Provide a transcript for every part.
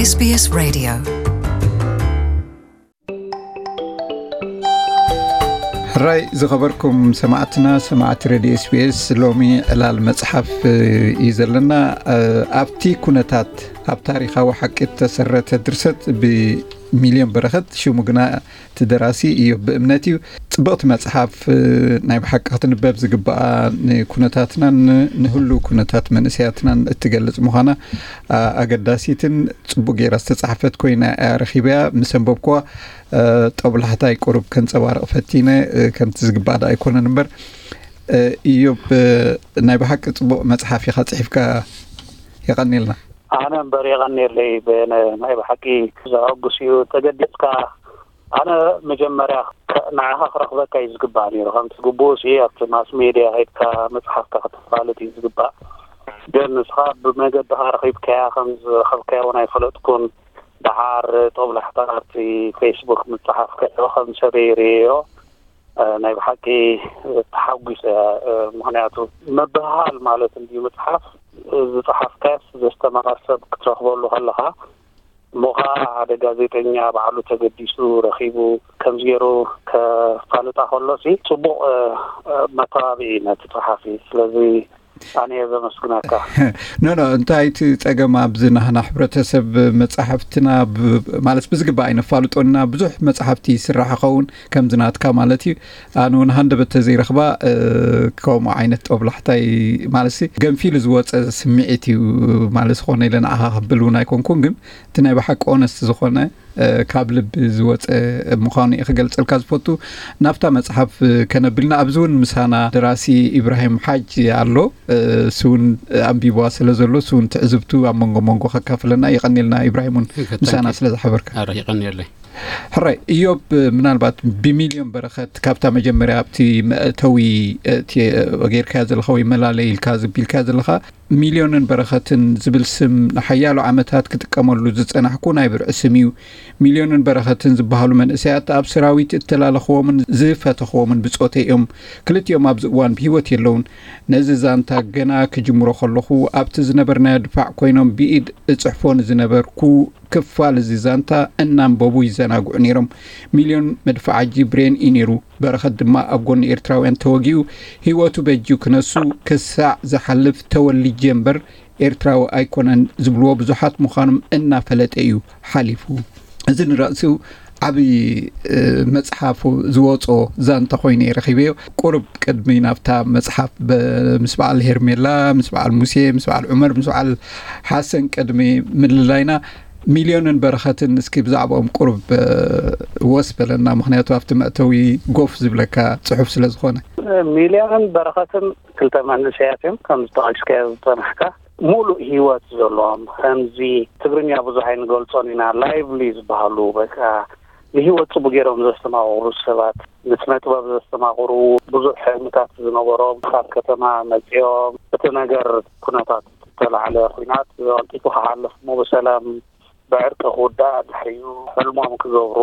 SBS Radio. ሕራይ ዝኸበርኩም ሰማዕትና፣ ሰማዕቲ ሬድዮ ኤስቢኤስ፣ ሎሚ ዕላል መጽሓፍ እዩ ዘለና። ኣብቲ ኩነታት፣ ኣብ ታሪኻዊ ሓቂ እተሰረተ ድርሰት ብሚልዮን በረኸት፣ ሽሙ ግና እቲ ደራሲ እዩ ብእምነት እዩ። ጽብቕቲ መጽሓፍ፣ ናይ ብሓቂ ክትንበብ ዝግባኣ፣ ንኩነታትናን ንህሉ ኩነታት መንእሰያትናን እትገልጽ ምዃና ኣገዳሲትን ጽቡቅ ጌራ ዝተጻሕፈት ኮይና እያ ረኺበያ። ምስ ኣንበብኩዋ፣ ጠብላሕታይ ቁሩብ ከንጸባርቕ ፈቲነ። ከምቲ ዝግባእ ደኣ ኣይኮነን እምበር፣ እዮብ፣ ናይ ብሓቂ ጽቡቕ መጽሓፍ ኢኻ ጽሒፍካ። የቐንየልና። ኣነ እምበር የቐንየለይ። ናይ ብሓቂ ዘሐጉስ እዩ። ተገዲስካ፣ ኣነ መጀመርያ ንዓኻ ክረኽበካ እዩ ዝግባእ ነይሩ። ከምቲ ግቡእ ሲ ኣብቲ ማስ ሜድያ ሄድካ መጽሓፍካ ክተፋልጥ እዩ ዝግባእ። ግን ንስኻ ብመገድኻ ረኺብካያ፣ ከም ዝረኸብካያ እውን ኣይፈለጥኩን። ደሓር ጦብላሕታ ኣብቲ ፌስቡክ ምጽሓፍካዮ ከም ሰበይ ርእዮ፣ ናይ ብሓቂ ተሓጒሰ። ምኽንያቱ ምብህሃል ማለት እንድዩ ምጽሓፍ። ዝጸሓፍካስ ዘስተማቐር ሰብ ክትረኽበሉ ከለኻ፣ እሞ ኸዓ ሓደ ጋዜጠኛ ባዕሉ ተገዲሱ ረኺቡ ከምዚ ገይሩ ከፋልጣ ከሎ ሲ ጽቡቕ መተባብዒ ነቲ ጸሓፊ። ስለዚ ኣነ እየ ዘመስግነካ። ኖ ኖ፣ እንታይ እቲ ጸገም ኣብዚ ናህና ሕብረተሰብ መጻሕፍትና ብ- ማለት ብዝግባእ ኣይነፋልጦና። ብዙሕ መጻሕፍቲ ይስራሕ ይኸውን ከምዚ ናትካ ማለት እዩ። ኣነ እውን ሃንደበት ተዘይረኽባ፣ ከምኡ ዓይነት ጦብላሕታይ ማለት ሲ ገንፊሉ ዝወጸ ስምዒት እዩ ማለት ዝኾነ ኢለ ንዓኻ ክብል እውን ኣይኮንኩን፣ ግን እቲ ናይ ብሓቂ ኦነስት ዝኾነ ካብ ልቢ ዝወፀ ምዃኑ እየ ክገልፀልካ ዝፈቱ። ናብታ መፅሓፍ ከነብልና፣ ኣብዚ እውን ምሳና ደራሲ ኢብራሂም ሓጅ ኣሎ። እሱ እውን ኣንቢብዋ ስለ ዘሎ፣ እሱ እውን ትዕዝብቱ ኣብ መንጎ መንጎ ከካፍለና። የቐንየልና ኢብራሂም እውን ምሳና ስለ ዝሓበርካ። ኣረ፣ የቐንየለይ። ሕራይ እዮብ፣ ምናልባት ብሚልዮን በረኸት ካብታ መጀመርያ ኣብቲ መእተዊ፣ እቲ ጌርካዮ ዘለኻ ወይ መላለይ ኢልካ ዝቢልካዮ ዘለኻ፣ ሚልዮንን በረኸትን ዝብል ስም ንሓያሎ ዓመታት ክጥቀመሉ ዝጸናሕኩ ናይ ብርዒ ስም እዩ። ሚልዮንን በረኸትን ዝበሃሉ መንእሰያት ኣብ ሰራዊት እተላለኽዎምን ዝፈተኽዎምን ብጾተይ እዮም። ክልቲኦም ኣብዚ እዋን ብህይወት የለውን። ነዚ ዛንታ ገና ክጅምሮ ከለኹ ኣብቲ ዝነበርናዮ ድፋዕ ኮይኖም ብኢድ እጽሕፎ ንዝነበርኩ ክፋል እዚ ዛንታ እናንበቡ ይዘናግዑ ነይሮም። ሚልዮን መድፍዓጂ ብሬን እዩ ነይሩ። በረኸት ድማ ኣብ ጎኒ ኤርትራውያን ተወጊኡ ህይወቱ በጅዩ ክነሱ ክሳዕ ዝሓልፍ ተወሊጀ እምበር ኤርትራዊ ኣይኮነን ዝብልዎ ብዙሓት ምዃኖም እናፈለጠ እዩ ሓሊፉ። እዚ ንርእሱ ዓብዪ መጽሓፉ ዝወጾ ዛንታ ኮይኑ እየ ረኺበዮ። ቁሩብ ቅድሚ ናብታ መጽሓፍ ምስ በዓል ሄርሜላ፣ ምስ በዓል ሙሴ፣ ምስ በዓል ዑመር፣ ምስ በዓል ሓሰን ቅድሚ ምልላይና፣ ሚልዮንን በረኸትን እስኪ ብዛዕባኦም ቁሩብ ወስ በለና። ምኽንያቱ ኣብቲ መእተዊ ጎፍ ዝብለካ ጽሑፍ ስለ ዝኾነ። ሚልዮንን በረኸትን ክልተ መንእሰያት እዮም፣ ከም ዝጠቐስካዮ ዝጸናሕካ። ሙሉእ ህይወት ዘለዎም፣ ከምዚ ትግርኛ ብዙሕ ኣይንገልጾን ኢና፣ ላይቭሊ ዝበሃሉ፣ በቃ ንህይወት ጽቡቅ ገይሮም ዘስተማቕሩ ሰባት፣ ንስነ ጥበብ ዘስተማቕሩ፣ ብዙሕ ሕልምታት ዝነበሮም፣ ካብ ከተማ መጺኦም፣ እቲ ነገር ኩነታት ዝተላዕለ ኩናት ቀልጢፉ ክሓልፍ እሞ ብሰላም ብዕርቂ ክውዳእ፣ ድሕሪኡ ሕልሞም ክገብሩ።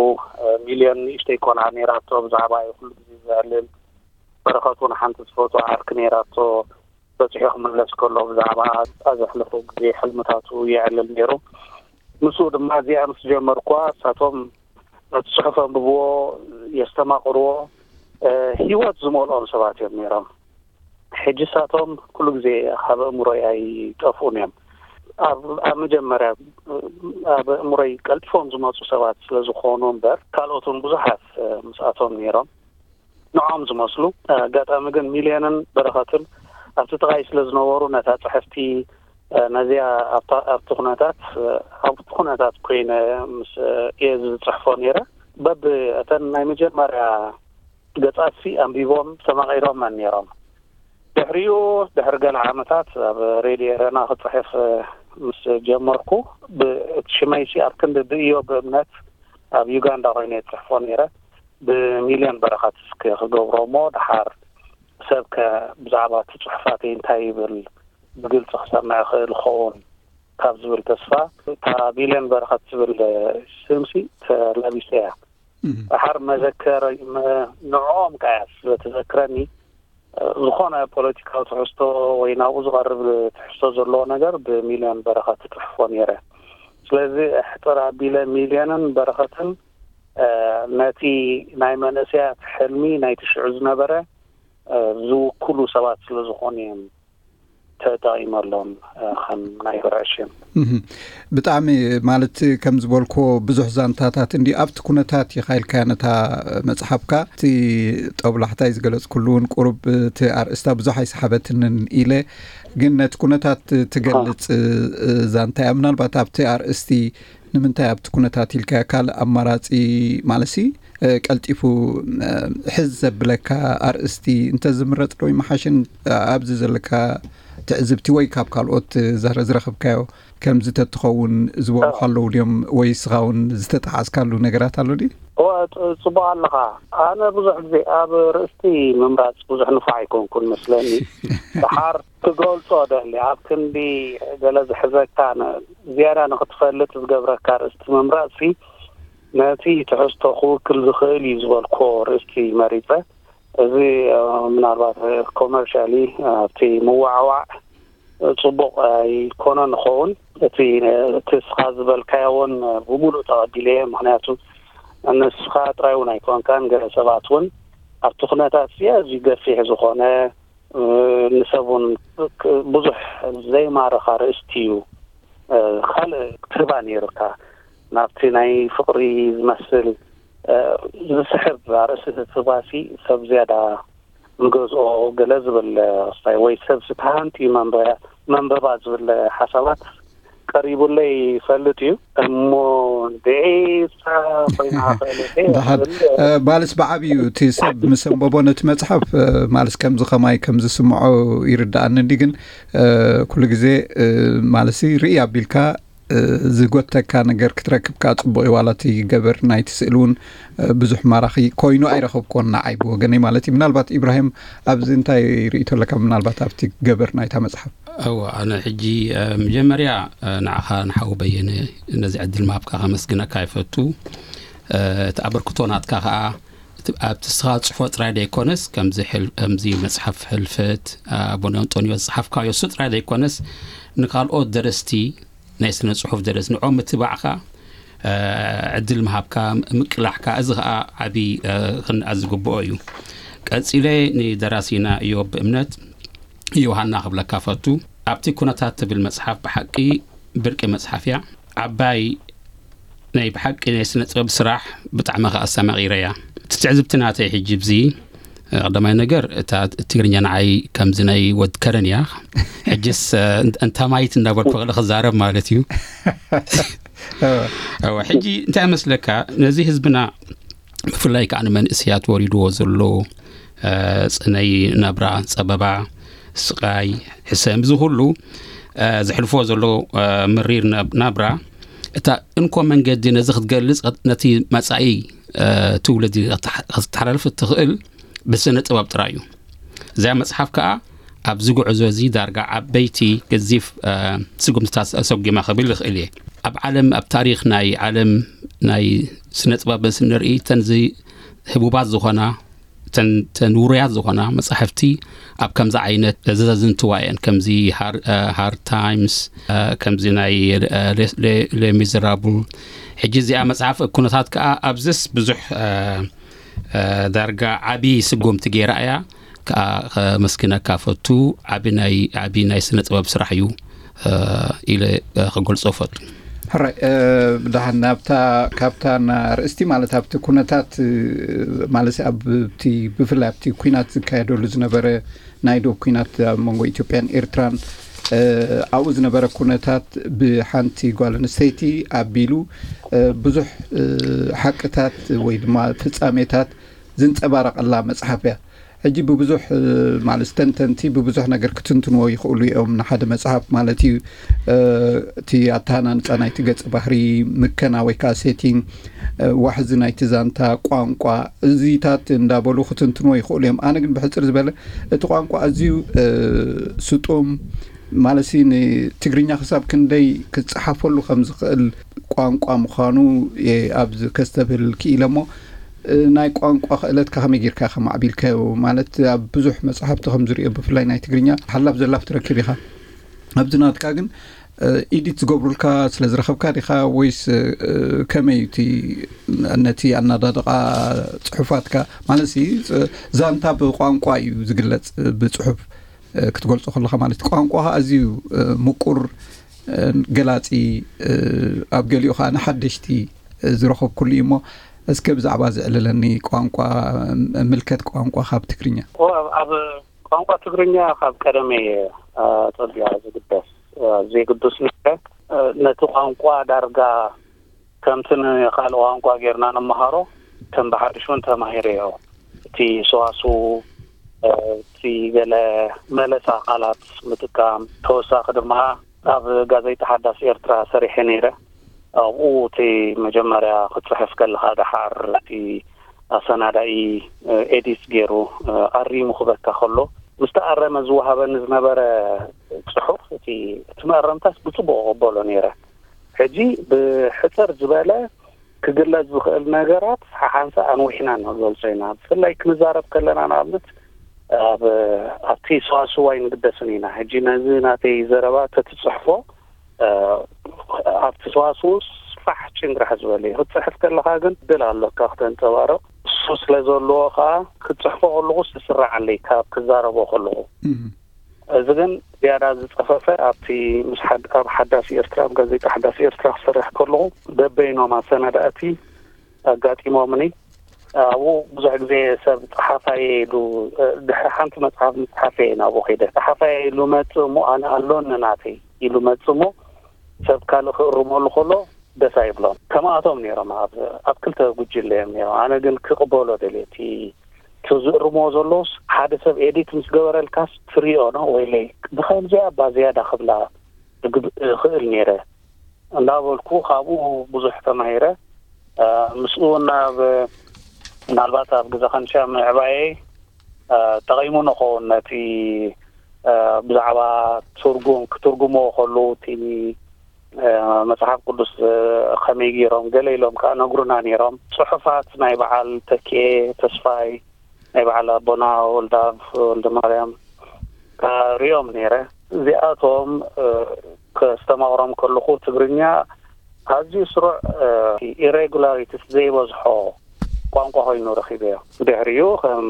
ሚልዮን ንእሽተይ ቆልዓ ነይራቶ፣ ብዛዕባ እዩ ኩሉ ግዜ ዘዕልል። በረኸት እውን ሓንቲ ዝፈትዋ ዓርኪ ነይራቶ፣ በጺሑ ክምለስ ከሎ ብዛዕባ ዘሕለፎ ግዜ ሕልምታቱ የዕልል ነይሩ። ምስኡ ድማ እዚኣ ምስ ጀመርኳ፣ እሳቶም ነቲ ጽሑፍ ኣንብብዎ፣ የስተማቕርዎ፣ ህይወት ዝመልኦም ሰባት እዮም ነይሮም። ሕጂ እሳቶም ኩሉ ግዜ ካብ ኣእምሮይ ኣይጠፍኡን እዮም። ኣብ ኣብ መጀመርያ ኣብ ኣእምሮይ ቀልጢፎም ዝመጹ ሰባት ስለ ዝኾኑ እምበር፣ ካልኦት እውን ብዙሓት ምስኣቶም ነይሮም፣ ንዖም ዝመስሉ። ኣጋጣሚ ግን ሚልዮንን በረኸትን ኣብቲ ጥቓይ ስለ ዝነበሩ፣ ነታ ጽሕፍቲ፣ ነዚኣ ኣብታ ኣብቲ ኩነታት ኣብቲ ኩነታት ኮይነ ምስ እየ ዝጽሕፎ ነይረ። በብ እተን ናይ መጀመርያ ገጻትሲ ኣንቢቦም ተማቒሮመን ነይሮም። ድሕሪኡ፣ ድሕሪ ገለ ዓመታት ኣብ ሬድዮ ኤረና ክጽሕፍ ምስ ጀመርኩ፣ ብ- እቲ ሽመይሲ ኣብ ክንዲ ብእዮ ብእምነት ኣብ ዩጋንዳ ኮይነ እየ ዝጽሕፎ ነይረ። ብሚልዮን በረኸት እስኪ ክገብሮ እሞ፣ ደሓር ሰብከ ብዛዕባ እቲ ጽሑፋተይ እንታይ ይብል ብግልጺ ክሰምዕ ይኽእል ይኸውን ካብ ዝብል ተስፋ፣ እታ ሚልዮን በረኸት ትብል ስምሲ ተላቢሰያ። ደሓር መዘከር ንዕኦም ከኣ እያ ስለ ትዘክረኒ፣ ዝኾነ ፖለቲካዊ ትሕዝቶ ወይ ናብኡ ዝቐርብ ትሕዝቶ ዘለዎ ነገር ብሚልዮን በረኸት እጽሕፎ ነይረ። ስለዚ ሕጥር ኣቢለ ሚልዮንን በረኸትን ነቲ ናይ መንእሰያት ሕልሚ ናይቲ ሽዑ ዝነበረ ዝውክሉ ሰባት ስለ ዝኾኑ እዮም ተጠቒመሎም ከም ናይ ብርዕሽም። ብጣዕሚ ማለት ከም ዝበልክዎ ብዙሕ ዛንታታት እንዲ ኣብቲ ኩነታት ኢኻ ኢልካያ ነታ መፅሓፍካ። እቲ ጠብላሕታይ ዝገለፅኩሉ እውን ቁሩብ እቲ ኣርእስታ ብዙሕ ኣይሰሓበትንን ኢለ፣ ግን ነቲ ኩነታት ትገልፅ ዛንታ እያ። ምናልባት ኣብቲ ኣርእስቲ ንምንታይ ኣብቲ ኩነታት ኢልካያ ካልእ ኣማራፂ ማለሲ ቀልጢፉ ሕዝ ዘብለካ ኣርእስቲ እንተዝምረፅ ዶ ይመሓሽን? ኣብዚ ዘለካ ትዕዝብቲ ወይ ካብ ካልኦት ዝረኽብካዮ ከምዚ ተትኸውን ዝበሉኻ ኣለዉ ድዮም? ወይ እስኻ እውን ዝተጠሓስካሉ ነገራት ኣሎ ድዩ? ጽቡቕ ኣለኻ። ኣነ ብዙሕ ግዜ ኣብ ርእስቲ ምምራፅ ብዙሕ ንፋዕ ኣይኮንኩን መስለኒ። ድሓር ክገልጾ ደሊ ኣብ ክንዲ ገለ ዝሕዘካ ዝያዳ ንክትፈልጥ ዝገብረካ ርእስቲ ምምራጽሲ ነቲ ትሕዝቶ ክውክል ዝኽእል እዩ ዝበልኮ ርእስቲ መሪጸ። እዚ ምናልባት ኮመርሻሊ ኣብቲ ምዋዕዋዕ ጽቡቕ ኣይኮነ ንኸውን። እቲ እቲ እስኻ ዝበልካዮ እውን ብሙሉእ ተቐቢለ እየ። ምክንያቱ ንስኻ ጥራይ እውን ኣይኮንካን፣ ገለ ሰባት እውን ኣብቲ ኩነታት እዚ ኣዝዩ ገፊሕ ዝኾነ ንሰብ እውን ብዙሕ ዘይማርኻ ርእስቲ እዩ። ካልእ ክትህባ ነይሩካ ናብቲ ናይ ፍቕሪ ዝመስል ዝስሕብ ኣርእስቲ ትህባሲ ሰብ ዝያዳ ንገዝኦ ገለ ዝብል ክስታይ ወይ ሰብ ዝተሃንት እዩ መንበያ መንበባ ዝብል ሓሳባት ቀሪቡለይ ይፈልጥ እዩ እሞ ድዒሳ ኮይና ክእልቴ ደሓን ባልስ ብዓብዩ እቲ ሰብ ምስ ኣንበቦ ነቲ መፅሓፍ ማለስ ከምዚ ከማይ ከም ዝስምዖ ይርዳኣኒ እንዲ ግን ኩሉ ግዜ ማለሲ ርኢ ኣቢልካ ዝጎተካ ነገር ክትረክብ ከዓ ፅቡቅ እዩ ዋላ እቲ ገበር ናይቲ ስእሊ እውን ብዙሕ ማራኺ ኮይኑ ኣይረኸብኩዎን ንዓይ ብወገነይ ማለት እዩ ምናልባት ኢብራሂም ኣብዚ እንታይ ርእይቶ ኣለካ ምናልባት ኣብቲ ገበር ናይታ መፅሓፍ እወ ኣነ ሕጂ መጀመርያ ንዓኻ ንሓው በየነ ነዚ ዕድል ምሃብካ ከመስግነካ ይፈቱ እቲ ኣበርክቶ ናትካ ከዓ ኣብቲ ስኻ ፅፎ ጥራይ ዘይኮነስ ከምዚ መፅሓፍ ሕልፈት ኣቡነ ኣንጦንዮስ ዝፅሓፍካዮ እሱ ጥራይ ዘይኮነስ ንካልኦት ደረስቲ ናይ ስነ ፅሑፍ ደረስ ንዖም ምትባዕካ ዕድል ምሃብካ ምቅላሕካ እዚ ከዓ ዓብዪ ክንኣ ዝግብኦ እዩ ቀፂለ ንደራሲና እዮብ እምነት ዮሃና ክብለካ ፈቱ ኣብቲ ኩነታት ትብል መፅሓፍ ብሓቂ ብርቂ መፅሓፍ እያ ዓባይ ናይ ብሓቂ ናይ ስነ ጥበብ ስራሕ ብጣዕሚ ከዓ ኣስተማቒረያ እቲ ትዕዝብቲ ናተይ ሕጂ ብዚ ቀዳማይ ነገር እታ ትግርኛ ንዓይ ከምዚ ናይ ወድ ከረን እያ ሕጅስ እንታማይት እንዳበልኩ ክእል ክዛረብ ማለት እዩ ሕጂ እንታይ መስለካ ነዚ ህዝብና ብፍላይ ከዓ ንመንእስያት ወሪድዎ ዘሎ ፅነይ ናብራ ፀበባ ስቃይ ሕሰም እዚ ኩሉ ዘሕልፎ ዘሎ ምሪር ናብራ እታ እንኮ መንገዲ ነዚ ክትገልፅ ነቲ መፃኢ ትውልዲ ክትተሓላልፍ እትኽእል ብስነ ጥበብ ጥራይ እዩ እዚኣ መፅሓፍ ከዓ ኣብዚ ጉዕዞ እዚ ዳርጋ ዓበይቲ ገዚፍ ስጉምትታት ኣሰጒማ ክብል ይኽእል እየ ኣብ ዓለም ኣብ ታሪክ ናይ ዓለም ናይ ስነ ጥበብ ስንርኢ ተንዚ ህቡባት ዝኾና ተን ውሩያት ዝኾና መጻሕፍቲ ኣብ ከምዚ ዓይነት ዘዘዝንትዋ እየን ከምዚ ሃር ታይምስ ከምዚ ናይ ሌ ሚዘራብል ሕጂ እዚኣ መጽሓፍ ኩነታት ከዓ ኣብዝስ ብዙሕ ዳርጋ ዓቢ ስጎምቲ ገይራ እያ ከዓ ከመስግነካ ፈቱ ዓቢ ናይ ዓቢ ናይ ስነ ጥበብ ስራሕ እዩ ኢለ ክገልጾ ፈቱ ሕራይ ብድሓን ናብታ ካብታ ኣርእስቲ ማለት ኣብቲ ኩነታት ማለት ኣብቲ ብፍላይ ኣብቲ ኩናት ዝካየደሉ ዝነበረ ናይ ዶብ ኩናት ኣብ መንጎ ኢትዮጵያን ኤርትራን ኣብኡ ዝነበረ ኩነታት ብሓንቲ ጓል ኣንስተይቲ ኣቢሉ ብዙሕ ሓቅታት ወይ ድማ ፍጻሜታት ዝንጸባረቐላ መጽሓፍ እያ። ሕጂ ብብዙሕ ማለት ተንተንቲ ብብዙሕ ነገር ክትንትንዎ ይኽእሉ እዮም ንሓደ መጽሓፍ ማለት እዩ እቲ ኣተሃናንፃ ናይቲ ገጸ ባህሪ ምከና ወይ ከዓ ሴቲንግ ዋሕዚ ናይቲ ዛንታ ቋንቋ እዚታት እንዳበሉ ክትንትንዎ ይኽእሉ እዮም ኣነ ግን ብሕፅር ዝበለ እቲ ቋንቋ ኣዝዩ ስጡም ማለት ንትግርኛ ክሳብ ክንደይ ክፀሓፈሉ ከም ዝኽእል ቋንቋ ምዃኑ ኣብዚ ከስተብህል ክኢለ እሞ ናይ ቋንቋ ክእለትካ ከመይ ጌርካ ከማዕቢልካዮ ማለት ኣብ ብዙሕ መፅሓፍቲ ከም ዝሪኦ ብፍላይ ናይ ትግርኛ ሓላፍ ዘላፍ ትረክብ ኢኻ ኣብዚ ናትካ ግን ኤዲት ዝገብሩልካ ስለ ዝረኸብካ ዲኻ ወይስ ከመይ እቲ ነቲ ኣናዳድቓ ጽሑፋትካ? ማለት ዛንታ ብቋንቋ እዩ ዝግለጽ፣ ብጽሑፍ ክትገልጾ ከለኻ ማለት ቋንቋ ኣዝዩ ምቁር ገላጺ፣ ኣብ ገሊኡ ከዓ ንሓደሽቲ ዝረኸብኩሉ እዩ። እሞ እስከ ብዛዕባ ዝዕልለኒ ቋንቋ፣ ምልከት ቋንቋ ካብ ትግርኛ። ኣብ ቋንቋ ትግርኛ ካብ ቀደመ እየ ኣጸቢቐ ዝግደስ፣ ዘይግዱስ ነይረ። ነቲ ቋንቋ ዳርጋ ከምቲ ንኻልእ ቋንቋ ጌርና ንመሃሮ ከም ብሓድሽ እውን ተማሂረዮ። እቲ ሰዋስው፣ እቲ ገለ መለሳ ቃላት ምጥቃም፣ ተወሳኺ ድማ ኣብ ጋዜጣ ሓዳስ ኤርትራ ሰሪሐ ነይረ። ኣብኡ እቲ መጀመርያ ክትጽሕፍ ከለኻ ደሓር እቲ ኣሰናዳኢ ኤዲት ገይሩ ኣሪሙ ክበካ ከሎ፣ ምስ ተኣረመ ዝወሃበኒ ዝነበረ ጽሑፍ፣ እቲ እቲ መኣረምታስ ብጽቡቕ እቕበሎ ነይረ። ሕጂ ብሕጽር ዝበለ ክግለጽ ዝኽእል ነገራት ሓሓንሳ ኣንዊሕና ንገልጾ ኢና። ብፍላይ ክንዛረብ ከለና ንኣብነት ኣብ ኣብቲ ሰዋስው ኣይንግደስን ኢና። ሕጂ ነዚ ናተይ ዘረባ ተትጽሕፎ ኣብቲ ሰዋስው ስፋሕ ጭንግራሕ ዝበለ እዩ። ክትጽሕፍ ከለኻ ግን ድል ኣሎካ ክተንጸባርቕ። እሱ ስለ ዘለዎ ከኣ ክትጽሕፎ ከለኹ ስስራዓለይ ካብ ክዛረቦ ከለኹ። እዚ ግን ዝያዳ ዝጸፈፈ ኣብቲ ምስ ሓድ-፣ ኣብ ሓዳስ ኤርትራ፣ ኣብ ጋዜጣ ሓዳስ ኤርትራ ክሰርሕ ከለኹ በበይኖም ኣሰናዳእቲ ኣጋጢሞምኒ። ኣብኡ ብዙሕ ግዜ ሰብ ጸሓፋየ ኢሉ፣ ድሕሪ ሓንቲ መጽሓፍ ምጽሓፈ እየ ናብኡ ከይደ። ጸሓፋየ ኢሉ መጽእ እሞ ኣነ ኣሎኒ ናተይ ኢሉ መጽእ እሞ ሰብ ካልእ ክእርመሉ ከሎ ደስ ኣይብሎም። ከማኣቶም ነይሮም ኣብ፣ ኣብ ክልተ ጉጅለ እዮም ነይሮም። ኣነ ግን ክቕበሎ ደልየ። እቲ፣ እቲ ዝእርምዎ ዘለውስ ሓደ ሰብ ኤዲት ምስ ገበረልካስ ትሪኦ ነው ወይለይ ብኸምዚኣ እባ ዝያዳ ክብላ እግብ-፣ እኽእል ነይረ እንዳበልኩ ካብኡ ብዙሕ ተማሂረ። እ፣ ምስኡ ናብ፣ ምናልባት ኣብ ግዜ ከንሻ ምዕባየይ፣ እ፣ ጠቒሙ ንኸውን ነቲ፣ እ፣ ብዛዕባ ትርጉም፣ ክትርጉምዎ ከለዉ እቲ፣ እ፣ መጽሓፍ ቅዱስ፣ እ፣ ከመይ ገይሮም ገለ ኢሎም ከኣ ነግሩና ነይሮም። ጽሑፋት ናይ በዓል ተኪኤ ተስፋይ፣ ናይ በዓል ኣቦና ወልደኣብ ወልደማርያም ከኣ ርእዮም ነይረ። እዚኣቶም፣ እ፣ ከስተማቕሮም ከለኹ ትግርኛ ኣዝዩ ስሩዕ፣ እ፣ ኢሬጉላሪቲስ ዘይበዝሖ ቋንቋ ኮይኑ ረኺበዮ። ድሕሪኡ ከም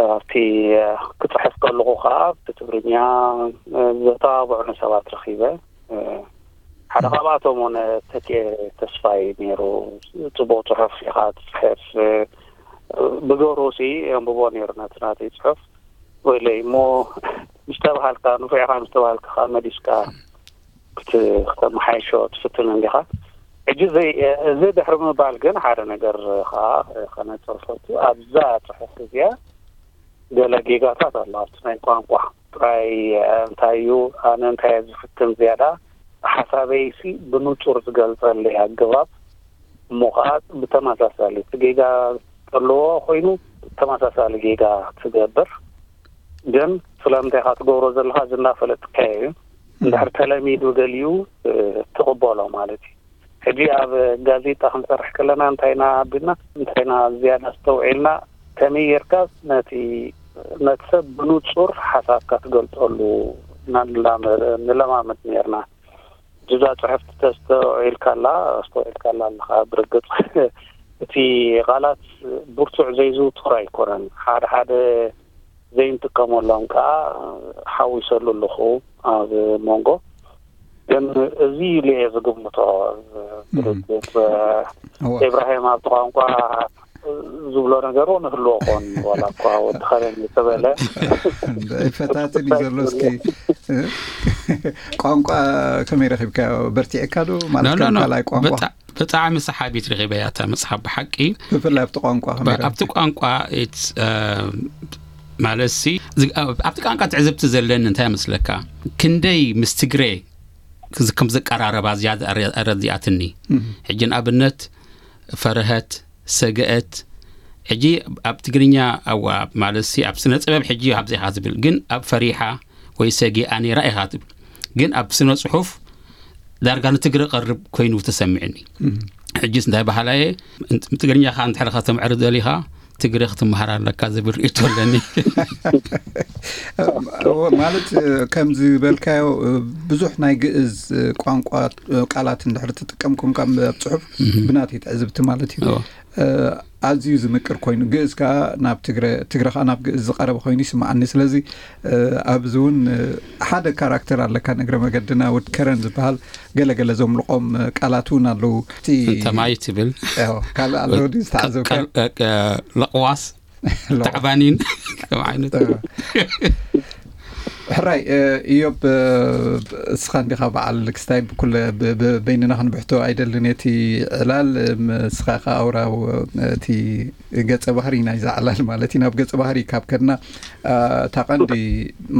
ኣብቲ፣ እ፣ ክጽሕፍ ከለኹ ከኣ ብትግርኛ፣ እ፣ ዘተባብዑኒ ሰባት ረኺበ። እ፣ ሓደ ካብኣቶም እውን ተኪኤ ተስፋይ ነይሩ። ጽቡቕ ጽሑፍ ኢኻ ትጽሕፍ፣ እ፣ ብገብሩ ሲ የንብቦ ነይሩ ነቲ ናተይ ጽሑፍ። ወይለይ እሞ ምስ ተባሃልካ፣ ንፉዕ ኢኻ ምስ ተባሃልካ ከኣ መሊስካ ክት-፣ ክተመሓይሾ ትፍትን እንዲኻ። ሕጂ እዚ፣ እዚ ድሕሪ ምባል ግን ሓደ ነገር ከኣ ከነጽር ፈቱ። ኣብዛ ጽሑፍ እዚኣ ገለ ጌጋታት ኣሎ ኣብቲ ናይ ቋንቋ። ጥራይ እንታይ እዩ፣ ኣነ እንታይ እየ ዝፍትን ዝያዳ፣ ሓሳበይሲ ብንጹር ዝገልጸለይ ኣገባብ፣ እሞ ኸኣ ብተመሳሳሊ እቲ ጌጋ ዘለዎ ኮይኑ ተመሳሳሊ ጌጋ ትገብር። ግን ስለምንታይ ኢኻ ትገብሮ ዘለኻ እዚ እናፈለጥካዮ እዩ። እንድሕር ተለሚዱ ገሊኡ፣ እ፣ ትቕበሎ ማለት እዩ። ሕጂ ኣብ ጋዜጣ ክንሰርሕ ከለና እንታይ ኢና ኣቢልና፣ እንታይ ኢና ዝያዳ ኣስተውዒልና፣ ከመይ ጌርካ ነቲ፣ ነቲ ሰብ ብንጹር ሓሳብካ ትገልጸሉ ኢና ንላመ-፣ ንለማመድ ነይርና። እዛ ጽሕፍቲ ተስተውዒልካላ፣ ኣስተውዒልካላ ኣለኻ። ብርግጽ እቲ ቃላት ብርቱዕ ዘይዝውተር ኣይኮነን። ሓደ ሓደ ዘይንጥቀመሎም ከኣ ሓዊሰሉ ኣለኹ ኣብ መንጎ። ግን እዚ ኢሉ እየ ዝግምቶ። ብርግጽ፣ እወ። ኢብራሂም ኣብቲ ቋንቋ ዝብሎ ነገር እውን ህልዎ ኾን፣ ዋላ እኳ ወዲ ኸረን ዝተበለ። ፈታትን እዩ ዘሎ። እስኪ ቋንቋ ከመይ ረኺብካዮ? በርቲዕካ ዶ? ማለት ኖ፣ ኖ፣ ከም ኖ። ካልኣይ ቋንቋ? ብጣ-፣ ብጣዕሚ ሰሓቢት ረኺበያ እታ መጽሓፍ ብሓቂ። ብፍላይ ኣብቲ ቋንቋ ከመይ ብ-፣ ረኺብካ? ኣብቲ ቋንቋ፣ it's፣ እ፣ ማለት ሲ፣ ዝ-፣ ኣብ-፣ ኣብቲ ቋንቋ ትዕዝብቲ ዘለኒ እንታይ መስለካ? ክንደይ ምስ ትግሬ ክዝ-፣ ከም ዘቀራረባ ዝያዳ ኣረ-፣ ኣረዲኣትኒ። እም። ሕጂ ንኣብነት ፈረሀት፣ ሰገአት፣ ሕጂ ኣብ ትግርኛ፣ ኣዋ፣ ማለት ሲ፣ ኣብ ስነ ጥበብ ሕጂ ኣብዚ ኢኻ ዝብል፣ ግን ኣብ ፈሪሓ ወይ ሰጊኣ ነይራ ኢኻ ትብል። ግን ኣብ ስነ ጽሑፍ ዳርጋ ንትግረ ቀርብ ኮይኑ ተሰሚዕኒ። እም። ሕጂስ እንታይ በሃላ እየ? ንትግርኛኻ እንድሕር ከተምዕሪ ደሊኻ፣ ትግረ ክትመሃር ኣለካ ዝብል ርእይቶ ኣለኒ። እወ፣ ማለት፣ እ፣ ከም ዝበልካዮ፣ እ፣ ብዙሕ ናይ ግእዝ፣ እ፣ ቋንቋ፣ እ፣ ቃላት እንድሕር ትጥቀምኩም ካብ ኣብ ጽሑፍ፣ ብናተይ ትዕዝብቲ ማለት እዩ። ኣዝዩ ዝምቅር ኮይኑ፣ ግእዝ ከኣ ናብ ትግረ፣ ትግረ ከኣ ናብ ግእዝ ዝቐረበ ኮይኑ ይስምዓኒ። ስለዚ፣ እ፣ ኣብዚ እውን፣ እ፣ ሓደ ካራክተር ኣለካ፣ ንእግረ መገድና ወድ ከረን ዝበሃል፣ ገለገለ ዘምልቖም፣ እ፣ ቃላት እውን ኣለዉ። እቲ እንተ ማይ ትብል። ያው፣ ካልእ ኣሎ ድዩ ዝተዓዘብካ? ቀ-፣ ቀ-፣ ለቕዋስ፣ ለቕዋስ። ተዕባኒን ከም ዓይነት። ሕራይ፣ እ፣ ኢዮብ፣ እ፣ እስኻ እንዲኻ በዓል ክስታይ ብኩለ ብ-፣ ብ-፣ በይንና ክንብሕቶ ኣይደልን እቲ ዕላል፣ እ፣ ም-፣ እስኻ ኢኻ ኣውራ፣ እ፣ እቲ ገጸ ባህሪ ናይዛ ዕላል ማለት እዩ። ናብ ገጸ ባህሪ ካብ ከድና፣ እ፣ እታ ቀንዲ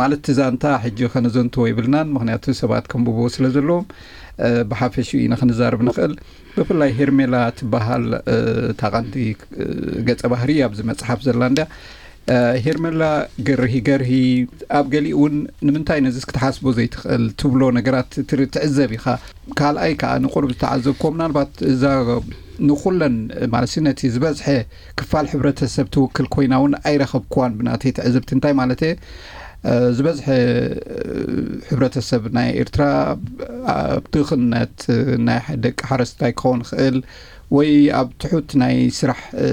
ማለት እቲ ዛንታ ሕጂ ከነዘንትዎ ይብልናን፣ ምኽንያቱ ሰባት ከንብብዎ ስለ ዘለዎም፣ እ፣ ብሓፈሽኡ ኢና ክንዛረብ ንኽእል። ብፍላይ ሄርሜላ ትበሃል፣ እ፣ እታ ቀንዲ፣ እ፣ ገጸ ባህሪ ኣብዚ መጽሓፍ ዘላ እንድያ። እ፣ ሄርሜላ ገርሂ ገርሂ፣ ኣብ ገሊኡ እውን ንምንታይ ነዚስ ክትሓስቦ ዘይትኽእል ትብሎ ነገራት ትር-፣ ትዕዘብ ኢኻ። ካልኣይ ከኣ ንቁሩብ ዝተዓዘብክዎ፣ ምናልባት እዛ ንኹለን ማለት ነቲ ዝበዝሐ ክፋል ሕብረተሰብ ትውክል ኮይና እውን ኣይረኸብክዋን ብናተይ ትዕዝብቲ። እንታይ ማለት እየ? እ፣ ዝበዝሐ እ፣ ሕብረተሰብ ናይ ኤርትራ ኣብ ድኽነት፣ እ፣ ናይ ደቂ ሓረስታይ ክኸውን ይኽእል ወይ ኣብ ትሑት ናይ ስራሕ፣ እ፣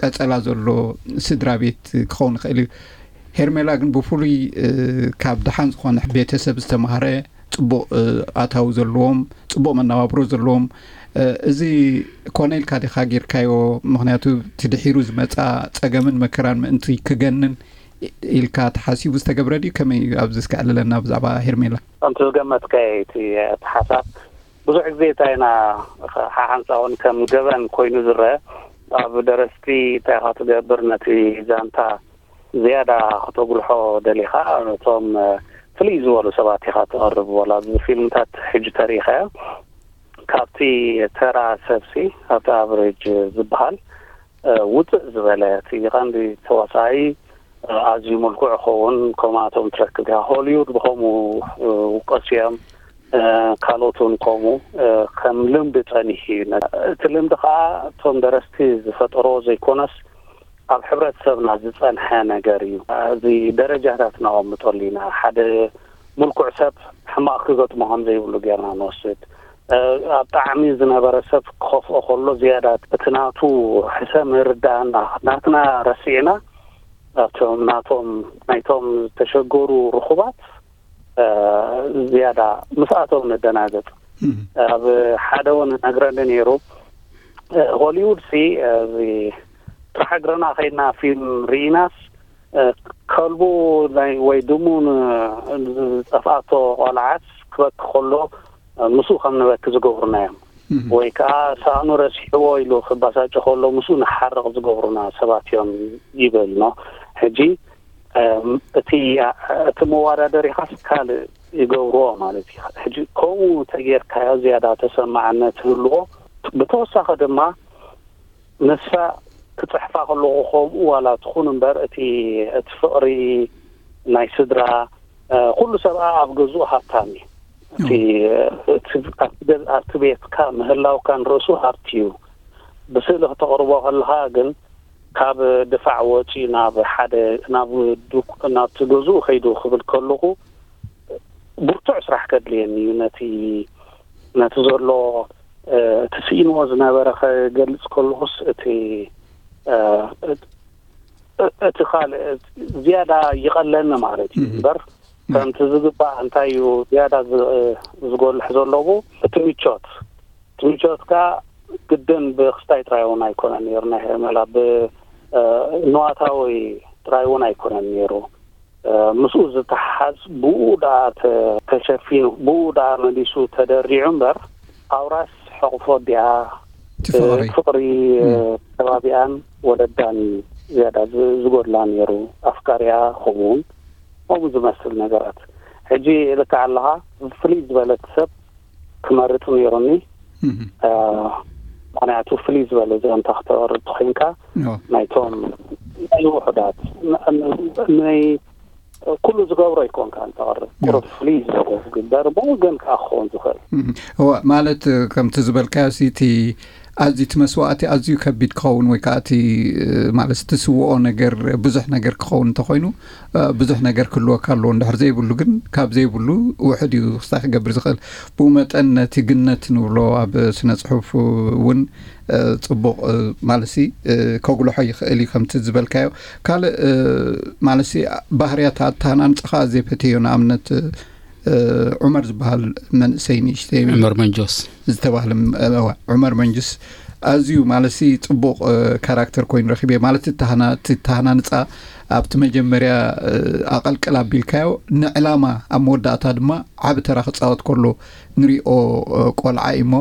ቀጸላ ዘሎ ስድራ ቤት ክኸውን ይኽእል እዩ። ሄርሜላ ግን ብፍሉይ፣ እ፣ ካብ ደሓን ዝኾነ ቤተሰብ ዝተማህረ፣ ጽቡቕ፣ እ፣ ኣታዊ ዘለዎም፣ ጽቡቕ መነባብሮ ዘለዎም፣ እ፣ እዚ ኮነ ኢልካ ዲኻ ጌርካዮ? ምኽንያቱ እቲ ድሒሩ ዝመጻ ጸገምን መከራን ምእንቲ ክገንን ኢልካ ተሓሲቡ ዝተገብረ ድዩ? ከመይ እዩ? ኣብዚ እስከ ዕልለና ብዛዕባ ሄርሜላ። ከምቲ ዝገመትካዮ እቲ፣ እቲ ሓሳብ ብዙሕ ግዜ እንታይ ኢና ሓሓንሳውን ከም ገበን ኮይኑ ዝረአ ኣብ ደረስቲ እንታይ ኢኻ ትገብር ነቲ ዛንታ ዝያዳ ክተጉልሖ ደሊኻ ነቶም ፍልይ ዝበሉ ሰባት ኢኻ ትቐርብ። ዋላ ኣብዚ ፊልምታት ሕጂ ተሪኢኻዮ ካብቲ ተራ ሰብሲ ኣብቲ ኣቨሬጅ ዝበሃል እ፣ ውፅእ ዝበለ እቲ ቀንዲ ተዋሳኣይ እ፣ ኣዝዩ ምልኩዕ ይኸውን። ከምኣቶም ትረክብ ኢኻ። ሆሊውድ ብኸምኡ እ፣ ውቀሱ እዮም። እ፣ ካልኦት እውን ከምኡ እ፣ ከም ልምዲ ጸኒሑ እዩ። ነ-፣ እቲ ልምዲ ከዓ እቶም ደረስቲ ዝፈጠሮ ዘይኮነስ ኣብ ሕብረተሰብና ዝጸንሐ ነገር እዩ። እዚ ደረጃታት ነቐምጠሉ ኢና። ሓደ ምልኩዕ ሰብ ሕማቕ ክገጥሞ ከም ዘይብሉ ጌርና ንወስድ። እ፣ ኣብ ጣዕሚ ዝነበረ ሰብ ክኸፍኦ ከሎ ዝያዳ እቲ ናቱ ሕሰም ይርድኣና። ናትና ረሲዕና ኣብቶም ናቶም ናይቶም ዝተሸገሩ ርኹባት እ፣ ዝያዳ ምስኣቶም ንደናገጽ። ኣብ ሓደ እውን ነግረኒ ነይሩ፣ እ፣ ሆሊውድ ሲ፣ እ፣ እዚ ጥራሕ እግርና ከይድና ፊልም ርኢናስ፣ እ፣ ከልቡ ናይ ወይ ድሙ ን-፣ ዝጠፍኣቶ ቆልዓስ ክበኪ ከሎ፣ እ፣ ምስኡ ከም ንበኪ ዝገብሩና እዮም። ወይ ከዓ ሳእኑ ረሲሕዎ ኢሉ ክባሳጭ ከሎ ምስኡ ንሓርቕ ዝገብሩና ሰባት እዮም ይብል ነው። ሕጂ፣ እም፣ እቲ፣ እቲ መወዳደሪኻስ ካልእ ይገብርዎ ማለት እዩ። ሕጂ ከምኡ ተጌርካዮ ዝያዳ ተሰማዕነት ይህልዎ። ብተወሳኺ ድማ ንሳ ክጽሕፋ ከለኹ ከምኡ ዋላ ትኹን እምበር እቲ፣ እቲ ፍቕሪ ናይ ስድራ፣ እ፣ ኩሉ ሰብኣ ኣብ ገዝኡ ሃብታም እዩ። እቲ፣ እቲ፣ ኣብቲ ገዝ-፣ ኣብቲ ቤትካ ምህላውካ ንርእሱ ሃብቲ እዩ። ብስእሊ ክተቕርቦ ከለኻ ግን ካብ ድፋዕ ወፂኡ ናብ ሓደ፣ ናብ ዱክ-፣ ናብቲ ገዝኡ ከይዱ ክብል ከለኹ ብርቱዕ ስራሕ ከድልየኒ እዩ። ነቲ፣ ነቲ ዘሎ፣ እ፣ እቲ ስኢንዎ ዝነበረ ከገልጽ ከለኹስ እቲ፣ እ፣ እ-፣ እቲ ካልእ ዝያዳ ይቐለኒ ማለት እዩ። እምበር ከምቲ ዝግባእ እንታይ እዩ ዝያዳ ዝ-፣ ዝጎልሕ ዘለዎ እቲ ምቾት። እቲ ምቾት ከኣ ግድን ብክስታይ ጥራይ እውን ኣይኮነን ነይሩ፣ ናይ ሄርሜላ ብ-፣ እ፣ ንዋታዊ ጥራይ እውን ኣይኮነን ነይሩ። እ፣ ምስኡ ዝተሓሓዝ ብኡ ደኣ ተ-፣ ተሸፊኑ፣ ብኡ ደኣ መሊሱ ተደሪዑ እምበር፣ ኣውራስ ሕቕፎ ኣዲኣ፣ እቲ ፍቕሪ። ፍቕሪ፣ እ፣ እም። ከባቢኣን ወለዳን እዩ ዝያዳ ዝ-፣ ዝጎድላ ነይሩ። ኣፍቃሪኣ ከምኡ እውን ከምኡ ዝመስል ነገራት። ሕጂ ልክዕ ኣለኻ፣ ፍልይ ዝበለት ሰብ ክመርጽ ነይሩኒ። እም። እ፣ ምኽንያቱ ፍልይ ዝበለ ዛንታ ክተቕርብ ተኾይንካ፣ ኦ። ናይቶም ናይ ውሑዳት፣ ን-፣ ን-፣ ናይ ኩሉ ዝገብሮ ኣይኮንካን ተቕርብ። ያ። ቁሩብ ፍልይ ዝበለ ዝግበር፣ ብወገን ከኣ ክኸውን ዝኽእል። እም። እወ፣ ማለት፣ ከምቲ ዝበልካዮ ሲ፣ እቲ ኣዝዩ እቲ መስዋእቲ ኣዝዩ ከቢድ ክኸውን ወይ ከዓ እቲ ማለት ትስውኦ ነገር ብዙሕ ነገር ክኸውን እንተኮይኑ ብዙሕ ነገር ክህልወካ ኣለዎ። እንድሕር ዘይብሉ ግን ካብ ዘይብሉ ውሕድ እዩ ክስታይ ክገብር ዝኽእል። ብኡ መጠን ነቲ ግነት ንብሎ ኣብ ስነ ፅሑፍ እውን ፅቡቕ ማለሲ ከጉልሖ ይኽእል እዩ። ከምቲ ዝበልካዮ ካልእ ማለሲ ባህርያት ኣተሃናንፃኻ ኣዝየ ፈትዮ። ንኣብነት ዑመር ዝበሃል መንእሰይ ንእሽተይ ዑመር መንጆስ ዝተባህለ ዑመር መንጅስ ኣዝዩ ማለሲ ፅቡቕ ካራክተር ኮይኑ ረኪበ። ማለት ተሃናንፃ ኣብቲ መጀመርያ ኣቐልቅል ኣቢልካዮ ንዕላማ ኣብ መወዳእታ ድማ ዓብ ተራ ክፃወት ከሎ ንሪኦ ቆልዓ እሞ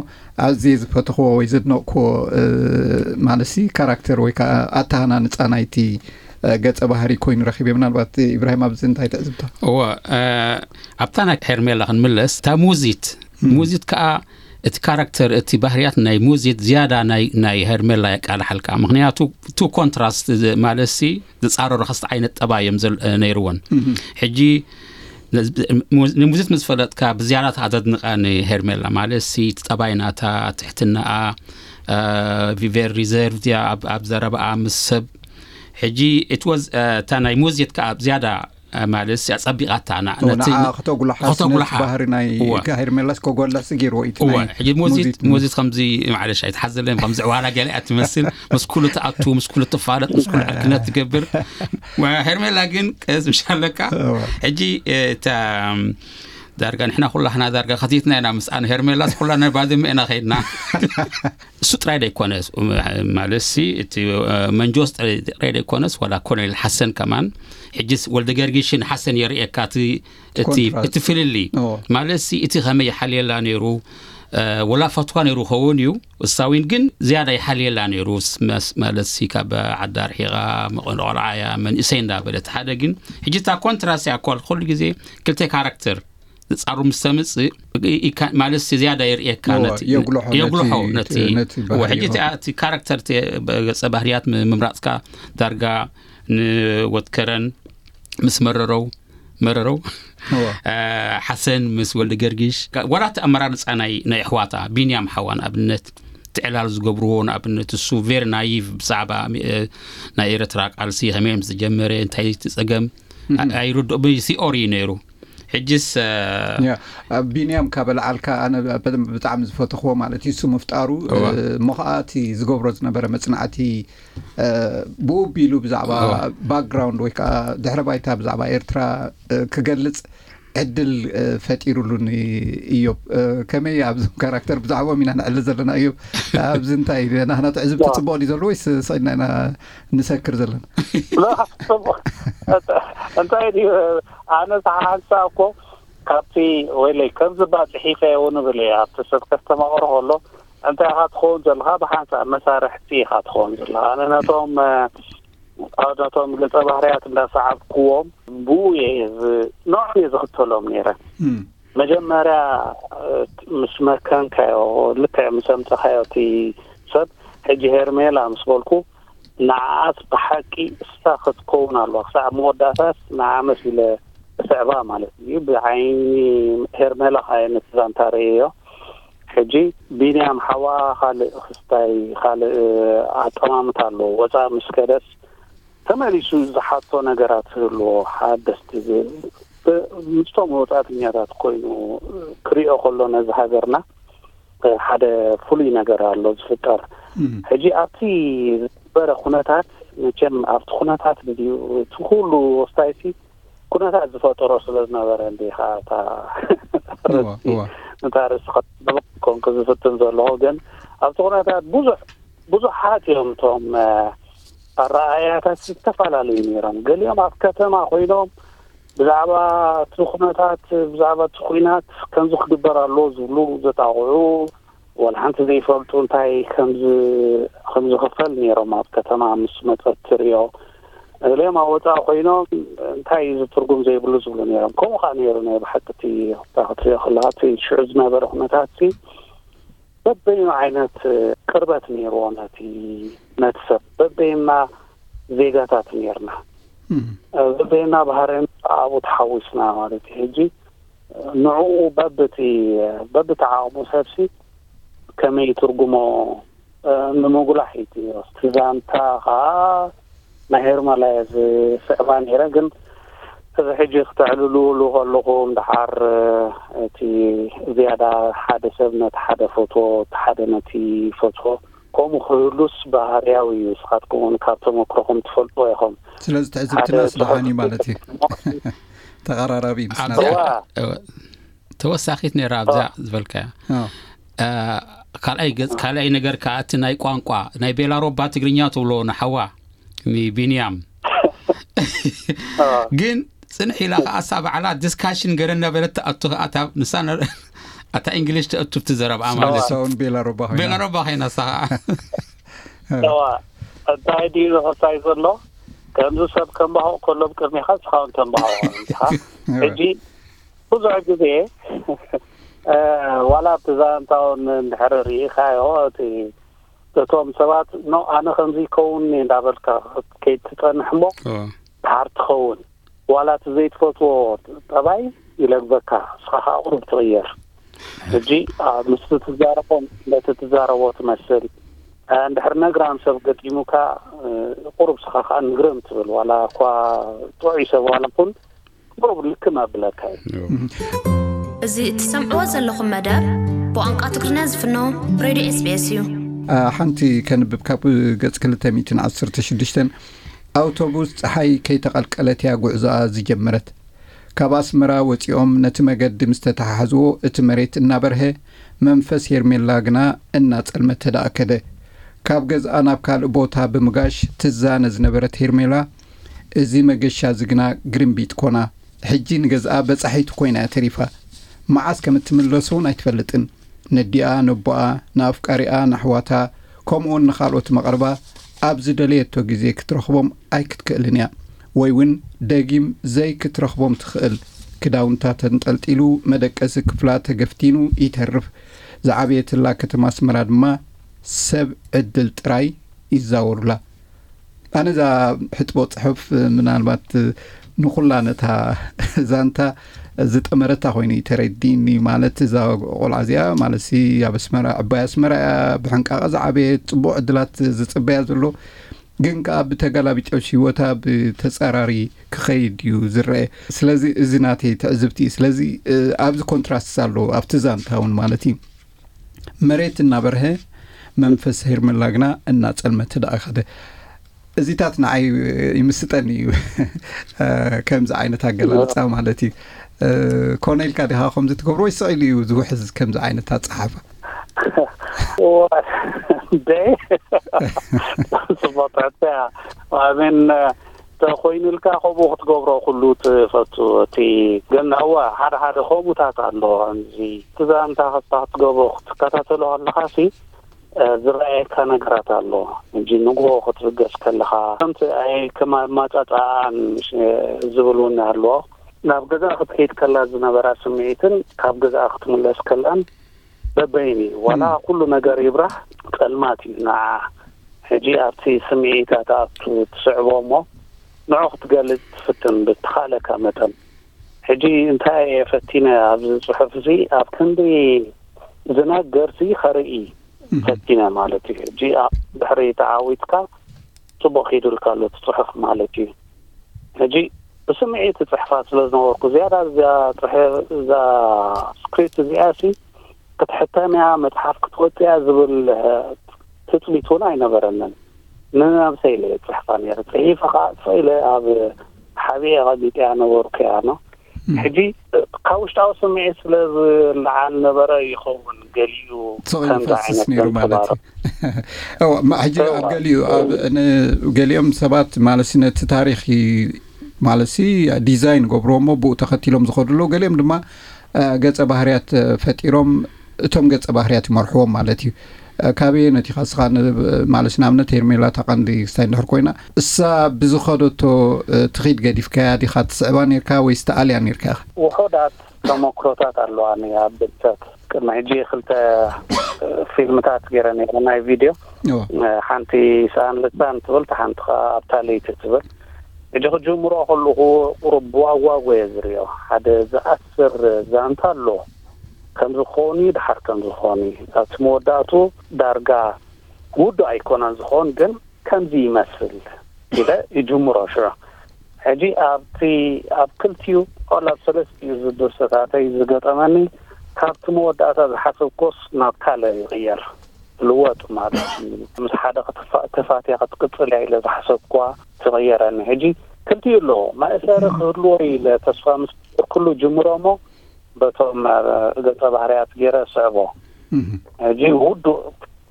ኣዝየ ዝፈተኽዎ ወይ ዘድነቕክዎ ማለሲ ካራክተር ወይ ከዓ ኣተሃናንፃ ናይቲ ገፀ ባህሪ ኮይኑ ረኪበ። ምናልባት ኢብራሂም ኣብዚ እንታይ ትዕዝብታ? እወ ኣብታ ናይ ሄርሜላ ክንምለስ እታ ሙዚት ሙዚት ከዓ እቲ ካራክተር እቲ ባህርያት ናይ ሙዚት ዝያዳ ናይ ናይ ሄርሜላ የቃልሓልካ። ምክንያቱ ቱ ኮንትራስት ማለት ሲ ዝፃረሩ ክስተ ዓይነት ጠባይ እዮም ነይርወን። ሕጂ ንሙዚት ምስ ፈለጥካ ብዝያዳ ተኣዘድንቃ ንሄርሜላ ማለት ሲ እቲ ጠባይ ናታ ትሕትናኣ ቪቨር ሪዘርቭ እያ ኣብ ዘረባኣ ምስ ሰብ። ሕጂ እቲ ወዝ እታ ናይ ሙዚት ከዓ ዝያዳ ማለት እያ ጸቢቓታ። ከተጉልሓ ባህሪ ናይ ሄርሜላስ ከጎልሕ ስጊርዎ እዩ። ሕጂ ሙዚት ሙዚት ከምዚ ማዕለሽ ኣይትሓዘለይ ከምዚ ዕዋላ ገለ እያ ትመስል። ምስ ኩሉ ትኣቱ፣ ምስ ኩሉ ትፋለጥ፣ ምስ ኩሉ ዕርክነት ትገብር። ሄርሜላ ግን ቀስ ምሻለካ። ሕጂ እታ ዳርጋ ንሕና ኩላህና ዳርጋ ከቲትና ኢና ምስኣን። ሄርሜላስ ኩላና ባድመ ኢና ከይድና። እሱ ጥራይ ደይኮነስ ማለት ሲ እቲ መንጆስ ጥራይ ደይኮነስ ዋላ ኮሎኔል ሓሰን ከማን ሕጅስ ወልደ ገርጊሽን ሓሰን የርእየካ እቲ ፍልሊ። ማለት ሲ እቲ ከመይ ይሓልየላ ነይሩ፣ ወላ ፈትዋ ነይሩ ኸውን እዩ። እሳዊን ግን ዝያዳ ይሓልየላ ነይሩ። ማለት ሲ ካብ ዓዳ ርሒቓ መቐን ቆልዓ እያ መንእሰይ እንዳበለት ሓደ ግን ሕጂ እታ ኮንትራስ እያ እኳ ኩሉ ግዜ ክልተ ካራክተር ዝጻሩ ምስ ተምጽእ ማለት ዝያዳ የርእየካ። ነቲ የጉልሖ ነቲ ሕጂ እቲ ካራክተር ገጸ ባህርያት ምምራጽካ ዳርጋ ንወትከረን ምስ መረረው መረረው ሓሰን ምስ ወልደ ገርጊሽ ዋላ እቲ ኣመራርጻ ናይ ናይ ኣሕዋታ ቢንያም ሓዋ ንኣብነት ትዕላል ዝገብርዎ ንኣብነት እሱ ቬሪ ናይቭ ብዛዕባ ናይ ኤረትራ ቃልሲ ከመይ ምስ ዝጀመረ እንታይ እቲ ጸገም ኣይርድኦ ብሲኦሪ ነይሩ። ሕጅስ ቢንያም ካበልዓልካ ኣነ ብጣዕሚ ዝፈተኽዎ ማለት እዩ እሱ ምፍጣሩ። እሞ ከዓ እቲ ዝገብሮ ዝነበረ መፅናዕቲ ብኡ ቢሉ ብዛዕባ ባክግራውንድ ወይ ከዓ ድሕረ ባይታ ብዛዕባ ኤርትራ ክገልፅ ዕድል ፈጢሩሉን። እዮብ ከመይ ኣብዞም ካራክተር ብዛዕባኦም ኢና ንዕልል ዘለና። እዮብ ኣብዚ እንታይ ናህና ትዕዝብቲ ፅቡቅ ድዩ ዘሎ ወይስ ሰይና ኢና ንሰክር ዘለና? እንታይ ድዩ ኣነ ሓንሳብ እኮ ካብቲ ወይለይ ከምዚ ባ ፅሒፈ እውን ብል እየ ኣብቲ ሰብ ከስተማቕሮ ከሎ እንታይ ኢኻ ትኸውን ዘለኻ ብሓንሳብ መሳርሕቲ ኢኻ ትኸውን ዘለኻ ኣነ ነቶም ነቶም ገፀ ባህርያት እንዳሰዓብክዎም ብኡ እየ ንዖም እየ ዝኽተሎም ነይረ። መጀመርያ ምስ መከንካዮ ልክዕ ምስ ኣምፀኻዮ እቲ ሰብ ሕጂ ሄርሜላ ምስ በልኩ ንዓኣስ ብሓቂ እሳ ክትከውን ኣለዋ ክሳዕ መወዳእታስ ንዓ መሲለ ስዕባ ማለት እዩ ብዓይኒ ሄርሜላ ካየ ነቲ ዛንታ ርእየዮ። ሕጂ ቢንያም ሓዋ ካልእ ክስታይ ካልእ ኣጠማምታ ኣለዎ ወፃእ ምስ ከደስ ተመሊሱ ዝሓቶ ነገራት ዝህልዎ ሓደስቲ ምስቶም ወፃእተኛታት ኮይኑ ክሪኦ ከሎ ነዚ ሃገርና ሓደ ፍሉይ ነገር ኣሎ ዝፍጠር። ሕጂ ኣብቲ ዝነበረ ኩነታት መቸም ኣብቲ ኩነታት ድዩ እቲ ኩሉ ወስታይሲ ኩነታት ዝፈጠሮ ስለ ዝነበረ እንዲኻ እታ ርእሲ ነታ ርእሲ ኮንኩ ዝፍትን ዘለኹ ግን ኣብቲ ኩነታት ብዙሕ ብዙሓት እዮም እቶም ኣረኣእያታት ዝተፈላለዩ ነይሮም። ገሊኦም ኣብ ከተማ ኮይኖም ብዛዕባ እቲ ኩነታት ብዛዕባ እቲ ኩናት ከምዚ ክግበር ኣለዎ ዝብሉ ዘጣቕዑ ዋላ ሓንቲ ዘይፈልጡ እንታይ ከም ዝኽፈል ነይሮም ኣብ ከተማ ምስ መፀት ትሪኦ ገሊኦም ኣብ ወፃኢ ኮይኖም እንታይ እዩ ዝትርጉም ዘይብሉ ዝብሉ ነይሮም። ከምኡ ከዓ ነይሩ ናይ ብሓቂ እቲ ክትሪኦ ከለካ እቲ ሽዑ ዝነበረ ኩነታት በበይኑ ዓይነት ቅርበት ነይርዎ ነቲ ነቲ ሰብ በበይንና ዜጋታት ነይርና በበይንና ባህርን ኣብኡ ተሓዊስና ማለት እዩ። ሕጂ ንዕኡ በብቲ በብቲ ዓቕሙ ሰብሲ ከመይ ትርጉሞ ንምጉላሕ እዩ። እቲ ዛንታ ከዓ ናይ ሄርማላ እየ ዝስዕባ ነይረ። ግን እዚ ሕጂ ክተዕልልሉ ከለኹም ደሓር እቲ ዝያዳ ሓደ ሰብ ነቲ ሓደ ፎቶ፣ እቲ ሓደ ነቲ ፎቶ ከምኡ ክህሉስ ባህርያዊ እዩ። ንስኻትኩም እውን ካብ ተመክሮኹም ትፈልጥዎ ኢኹም። ስለዚ ትዕዝብትናስ ደሓን እዩ ማለት እዩ። ተቐራራቢ ምስና። ተወሳኺት ነይራ ኣብዛ ዝበልካያ። ካልኣይ ገጽ ካልኣይ ነገር ከዓ እቲ ናይ ቋንቋ ናይ ቤላሮባ ትግርኛ ትብሎ ንሓዋ ንቢንያም ግን ጽንሕ ኢላ ከዓ እሳ ባዕላ ዲስካሽን ገለ እናበለት ትኣቱ ከዓ እታ ንሳ ኣታ እንግሊሽ ተእቱ ትዘረብኣ ማለት እዩ። ቤላሮባ ኮይና እሳ ከዓ እዋ እንታይ ድዩ ዝኸሳይ ዘሎ? ከምዚ ሰብ ከምባሆቕ ከሎ ብቅድሜኻ ንስኻ እውን ተንባሆቕ ኢኻ። ሕጂ ብዙሕ ግዜ ዋላ ኣብቲ ዛንታ እውን እንድሕር ርኢኻዮ እቲ እቶም ሰባት ኖ ኣነ ከምዚ ይከውን እየ እንዳበልካ ከይትጸንሕ እሞ ድሓር ትኸውን ዋላ እቲ ዘይትፈትዎ ጠባይ ይለግበካ ንስኻ ከዓ ቁሩብ ትቕየር። ሕጂ ምስቲ ትዛረቦም ነቲ ትዛረቦ ትመስል እንድሕር ነግራም ሰብ ገጢሙካ ቁሩብ ስኻ ከዓ ንግርም ትብል ዋላ እኳ ጥዑይ ሰብ ዋላ ኩን ቁሩብ ልክም ኣብለካ እዩ። እዚ እትሰምዕዎ ዘለኹም መደብ ብቋንቋ ትግርኛ ዝፍኖ ሬድዮ ኤስቢኤስ እዩ። ሓንቲ ከንብብ ካብ ገጽ ክልተ ሚእትን ዓሰርተ ሽዱሽተን ኣውቶቡስ ጸሓይ ከይተቐልቀለት እያ ጉዕዞኣ ዝጀመረት። ካብ ኣስመራ ወጺኦም ነቲ መገዲ ምስ ተተሓሓዝዎ እቲ መሬት እናበርሀ መንፈስ ሄርሜላ ግና እናጸልመተ ደኣ ከደ። ካብ ገዝኣ ናብ ካልእ ቦታ ብምጋሽ ትዛነ ዝነበረት ሄርሜላ እዚ መገሻ እዚ ግና ግርምቢጥ ኮና። ሕጂ ንገዝኣ በጻሒት ኮይና እያ ተሪፋ። መዓስ ከም እትምለስ እውን ኣይትፈልጥን። ነዲኣ፣ ነቦኣ፣ ንኣፍቃሪኣ፣ ንኣሕዋታ፣ ከምኡውን ንኻልኦት መቐርባ ኣብ ዝደለየቶ ግዜ ክትረኽቦም ኣይክትክእልን እያ። ወይ እውን ደጊም ዘይክትረኽቦም ትኽእል። ክዳውንታ ተንጠልጢሉ፣ መደቀሲ ክፍላ ተገፍቲኑ ይተርፍ። ዝዓበየትላ ከተማ ኣስመራ ድማ ሰብ ዕድል ጥራይ ይዛወሩላ። ኣነ እዛ ሕጥቦ ጽሑፍ ምናልባት ንኹላ ነታ ዛንታ ዝጠመረታ ኮይኑ እዩ ተረዲኒ። ማለት እዛ ቆልዓ እዚኣ ማለት ሲ ኣብ ኣስመራ ዕባይ ኣስመራ እያ ብሕንቃቐ ዝዓበየት ጽቡቕ ዕድላት ዝጽበያ ዘሎ ግን ከዓ ብተጋላቢጦሽ ህይወታ ብተጻራሪ ክኸይድ እዩ ዝረአ። ስለዚ እዚ ናተይ ትዕዝብቲ እዩ። ስለዚ ኣብዚ ኮንትራስት ኣሎ ኣብቲ ዛንታ እውን ማለት እዩ። መሬት እናበርሀ መንፈስ ሄርመላ ግና እናጸልመተ ደኣ ከደ። እዚታት ንዓይ ይምስጠኒ እዩ። ከምዚ ዓይነት ኣገላልጻ ማለት እዩ። ኮነ ኢልካ ዲኻ ከምዚ ትገብሮ ወይ ስቕ ኢሉ እዩ ዝውሕዝ ከምዚ ዓይነት ኣጸሓሕፋ? እንደ ጽቡቕ ትሕትያ። ኣሜን። ተኮይኑልካ ከምኡ ክትገብሮ ኩሉ ትፈቱ። እቲ ግን እወ ሓደ ሓደ ከምኡታት ኣሎ። ከምዚ እቲ ዛንታ ከስታ ክትገብሮ ክትከታተሎ ከለኻ ሲ ዝረኣየካ ነገራት ኣሎ። እንጂ ንግሆ ክትብገስ ከለኻ ከምቲ ኣይ ከም ኣማጻጽኣን ዝብል እውን ኣሎ። ናብ ገዛ ክትከይድ ከላ ዝነበራ ስምዒትን ካብ ገዛ ክትምለስ ከላን በበይን እዩ። ዋላ ኩሉ ነገር ይብራህ ጸልማት እዩ ንዓ። ሕጂ ኣብቲ ስምዒታ ትኣቱ ትስዕቦ እሞ ንዑ ክትገልጽ ትፍትን ብትኻለካ መጠን። ሕጂ እንታይ እየ ፈቲነ ኣብዚ ጽሑፍ እዚ ኣብ ክንዲ ዝነገር ሲ ከርኢ ፈቲነ ማለት እዩ። ሕጂ ድሕሪ ተዓዊትካ ጽቡቕ ኪዱልካ ኣሎ እቲ ጽሑፍ ማለት እዩ። ሕጂ ብስምዒት እጽሕፋ ስለ ዝነበርኩ ዝያዳ እዛ ስክሪፕት እዚኣ ሲ ክትሕተም እያ መጽሓፍ ክትወጽእ እያ ዝብል ትጽቢት እውን ኣይነበረንን። ንነብሰይ ኢለ እየ ጽሕፋ ነይረ። ጽሒፈ ከዓ ጽፈ ኢለ ኣብ ሓቢኤ ቀሚጠያ ነበርኩ እያ ኖ። ሕጂ ካብ ውሽጣዊ ስምዒት ስለ ዝለዓል ነበረ ይኸውን ገሊኡ ከምዚ ዓይነት ነይሩ ማለት እዩ። ሕጂ ኣብ ገሊኡ ገሊኦም ሰባት ማለት ነቲ ታሪክ ማለት ዲዛይን ገብርዎ እሞ ብኡ ተኸቲሎም ዝኸዱ ኣለዉ። ገሊኦም ድማ ገጸ ባህርያት ፈጢሮም እቶም ገጸ ባህርያት ይመርሕዎም ማለት እዩ። ካበየ ነቲኻ ስኻ ማለት ንኣብነት ሄርሜላ ተቐንዲ ክስታይ እንድሕር ኮይና እሳ ብዝኸደቶ ትኺድ ገዲፍካያ ዲኻ ትስዕባ ነርካ ወይስ ተኣልያ ነርካ ኢኻ? ውሑዳት ተመክሮታት ኣለዋኒ ኣብ ብልተት ቅድሚ ሕጂ ክልተ ፊልምታት ገይረ ነይረ ናይ ቪድዮ ሓንቲ ሰኣን ልሳን ትብል ሓንቲ ከዓ ኣብታ ለይቲ ትብል ሕጂ ክጅምሮ ከለኹ ቁሩብ ብዋጓጎ እየ ዝርዮ ሓደ ዝኣስር ዛንታ ኣሎ ከምዝኾኑ ድሓር ከምዝኾኑ ኣብቲ መወዳእቱ ዳርጋ ውዱእ ኣይኮነን ዝኸውን፣ ግን ከምዚ ይመስል ኢለ ይጅምሮ። ሽዑ ሕጂ ኣብቲ ኣብ ክልቲኡ ዋላ ኣብ ሰለስቲኡ ዝድርሰታተይ ዝገጠመኒ፣ ካብቲ መወዳእታ ዝሓሰብኮስ ናብ ካልእ ይቕየር፣ ልወጥ ማለት እዩ። ምስ ሓደ ክትፋ- ተፋትያ ክትቅጽል እያ ኢለ ዝሓሰብኳ ትቕየረኒ። ሕጂ ክልቲኡ ኣለዎ። መእሰሪ ክህልዎ ኢለ ተስፋ ምስ ኩሉ ጅምሮ እሞ በቶም ገጸ ባህርያት ገይረ ስዕቦ። ሕጂ ውዱእ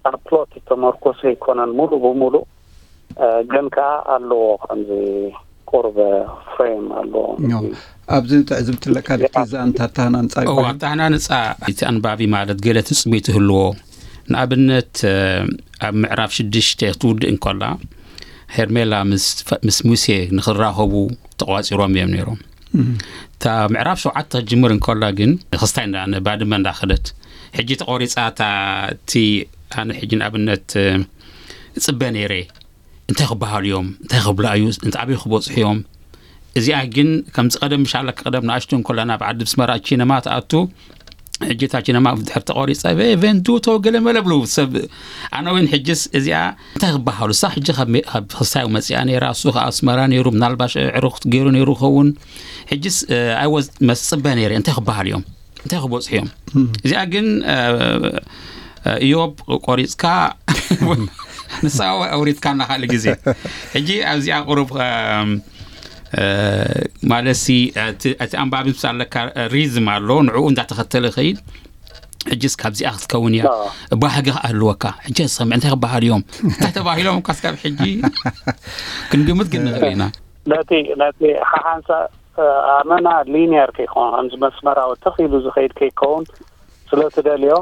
ኣብ ፕሎት ዝተመርኮሰ ኣይኮነን ሙሉእ ብሙሉእ፣ ግን ከኣ ኣለዎ ከምዚ ቁርብ ፍሬም ኣለዎ። ኣብዚ ትዕዝብቲ ኣለካ ድኪ ዛንታ ኣተሃናንጻ እዋ ኣተሃናንጻ እቲ ኣንባቢ ማለት ገለ ትጽቢት ይህልዎ። ንኣብነት ኣብ ምዕራፍ ሽዱሽተ ትውድእ እንከላ ሄርሜላ ምስ ሙሴ ንኽራኸቡ ተቋፂሮም እዮም ነይሮም። እታ ምዕራፍ ሸውዓተ ክትጅምር እንከላ ግን ክስታይ ባድመ እንዳኸደት ሕጂ ተቆሪፃ እታ እቲ ኣነ ሕጂ ንኣብነት እፅበ ነይረ እንታይ ክበሃሉ እዮም እንታይ ክብላ እዩ እንታይ ኣበይ ክበፅሑ እዮም። እዚኣ ግን ከምዚ ቀደም ምሻለካ ቀደም ንኣሽቱ እንከለና ብዓዲ ብስመራ ቺነማ ትኣቱ ሕጂ እታ ቺነማ ድሕር ተቆሪፀ ቬንዱቶ ገለ መለ ብሉ ሰብ ኣነ እውን ሕጅስ እዚኣ እንታይ ክበሃሉ እሳ ሕጂ ካብ ክሳይ መፅኣ ነይራ እሱ ከዓ ኣስመራ ነይሩ ምናልባሽ ዕሩኽ ገይሩ ነይሩ ክኸውን ሕጅስ ኣይወዝ መስፅበ ነይረ እንታይ ክበሃሉ እዮም እንታይ ክበፅሑ እዮም። እዚኣ ግን እዮብ ቆሪፅካ ንሳ ኣውሪድካ እና ካልእ ግዜ ሕጂ ኣብዚኣ ቁሩብ ማለት ሲ እቲ ኣንባቢ ምስ ኣለካ ሪዝም ኣሎ ንዕኡ እንዳተኸተለ ይኸይድ። ሕጂስ ካብዚኣ ክትከውን እያ ባህጊ ክኣህልወካ ሕጂ ሰምዕ እንታይ ክበሃል እዮም እንታይ ተባሂሎም እኳ ስካብ ሕጂ ክንግምት ግን ንኽእል ኢና። ነቲ ነቲ ሓሓንሳ ኣመና ሊኒየር ከይኮን ከምዚ መስመራዊ ተኺሉ ዝኸይድ ከይከውን ስለ ትደልዮ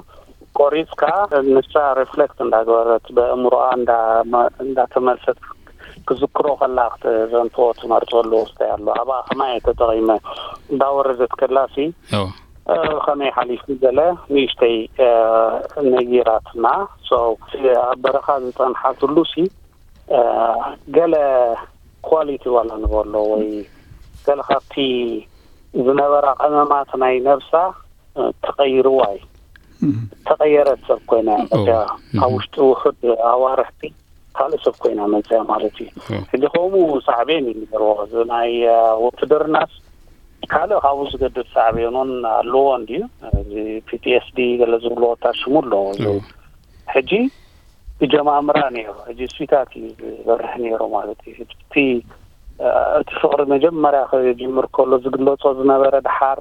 ቆሪፅካ ንሳ ሪፍሌክት እንዳገበረት በእምሮኣ እንዳተመልሰት ክዝክሮ ከላ ክትዘንትዎ ትመርፀሉ ወስታይ ኣሎ። ኣብኣ ከማይ ተጠቒመ እንዳወረደት ከላሲ ከመይ ሓሊፉ ገለ ንእሽተይ ነጊራትና። ኣብ በረኻ ዝፀንሓትሉ ሲ ገለ ኳሊቲ ዋላ ንበሎ ወይ ገለ ካብቲ ዝነበራ ቀመማት ናይ ነብሳ ተቐይርዋ እዩ። ተቐየረት ሰብ ኮይና እያ። እዚኣ ኣብ ውሽጢ ውሑድ ኣዋርሕቲ ካልእ ሰብ ኮይና መፅያ ማለት እዩ። ሕጂ ከምኡ ሳዕቤን እዩ ዝገርዎ። እዚ ናይ ውትድርናስ ካልእ ካብኡ ዝገድድ ሳዕቤን እውን ኣለዎ እንድዩ። እዚ ፒ ቲ ኤስ ዲ ገለ ዝብልዎ እታ ሽሙ ኣለዎ። እዚ ሕጂ ይጀማምራ ነይሩ። ሕጂ ስዊታት እዩ ዝበርህ ነይሩ ማለት እዩ። እቲ እቲ ፍቕሪ መጀመርያ ክጅምር ከሎ ዝግለጾ ዝነበረ ድሓር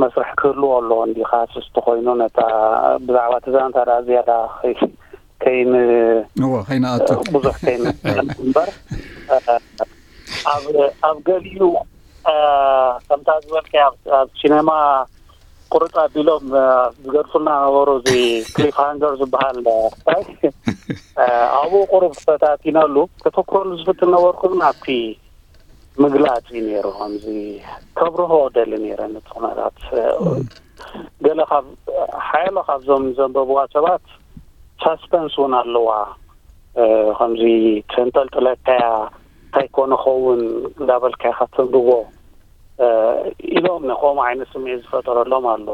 መስርሕ ክህልዎ ኣለዎ እንዲ ክሃስስ ተኮይኑ ነታ ብዛዕባ እቲ ዛንታ ደኣ ዝያዳ ከይን እዎ ከይንኣቱ ብዙሕ ከይን እምበር ኣብ ገሊኡ ከምታ ዝበልካ ኣብ ሲነማ ቁርፅ ኣቢሎም ዝገድፉልና ነበሩ። እዚ ክሊፍ ሃንገር ዝበሃል ታይ ኣብኡ ቁሩብ ፈታቲነሉ ከተኩረሉ ዝፍትን ነበርኩ ግን ኣብቲ ምግላፅ እዩ ነይሩ። ከምዚ ከብርሆ ደሊ ነይረ ነቲ ኩነታት ገለ ካብ ሓያሎ ካብዞም ዘንበብዋ ሰባት ሳስፐንስ እውን ኣለዋ። ከምዚ ተንጠልጥለካያ እንታይ ኮነ ኸውን እንዳበልካ ኢኻ ተንብቦ ኢሎም ከምኡ ዓይነት ስምዒት ዝፈጠረሎም ኣሎ።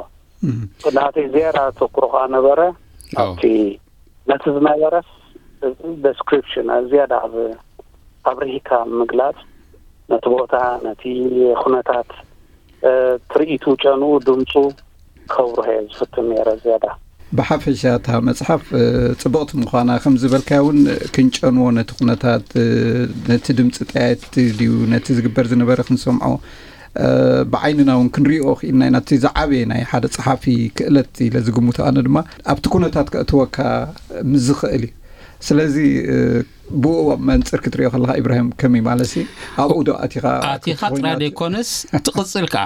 ናተይ ዝያዳ ተኩሮ ከዓ ነበረ ኣብቲ ነቲ ዝነበረስ ደስክሪፕሽን ዝያዳ ኣብሪሂካ ምግላፅ ነቲ ቦታ ነቲ ኩነታት ትርኢቱ ጨንኡ ድምፁ ከብርሆ እየ ዝፍትን ነይረ ዝያዳ። ብሓፈሻ እታ መፅሓፍ ፅብቕቲ ምዃና ከም ዝበልካያ እውን ክንጨንዎ ነቲ ኩነታት ነቲ ድምፂ ጠያየቲ ድዩ ነቲ ዝግበር ዝነበረ ክንሰምዖ ብዓይንና እውን ክንሪኦ ክኢልና ኢና። እቲ ዝዓበየ ናይ ሓደ ፀሓፊ ክእለት ኢለ ዝግምቶ ኣነ ድማ ኣብቲ ኩነታት ከእትወካ ምስ ዝኽእል እዩ። ስለዚ ብኡ መንፅር ክትሪኦ ከለካ ኢብራሂም ከመይ ማለት ሲ ኣብኡ ዶ ኣቲኻ ኣቲኻ ጥራይ ዘይኮነስ ትቕፅል ከዓ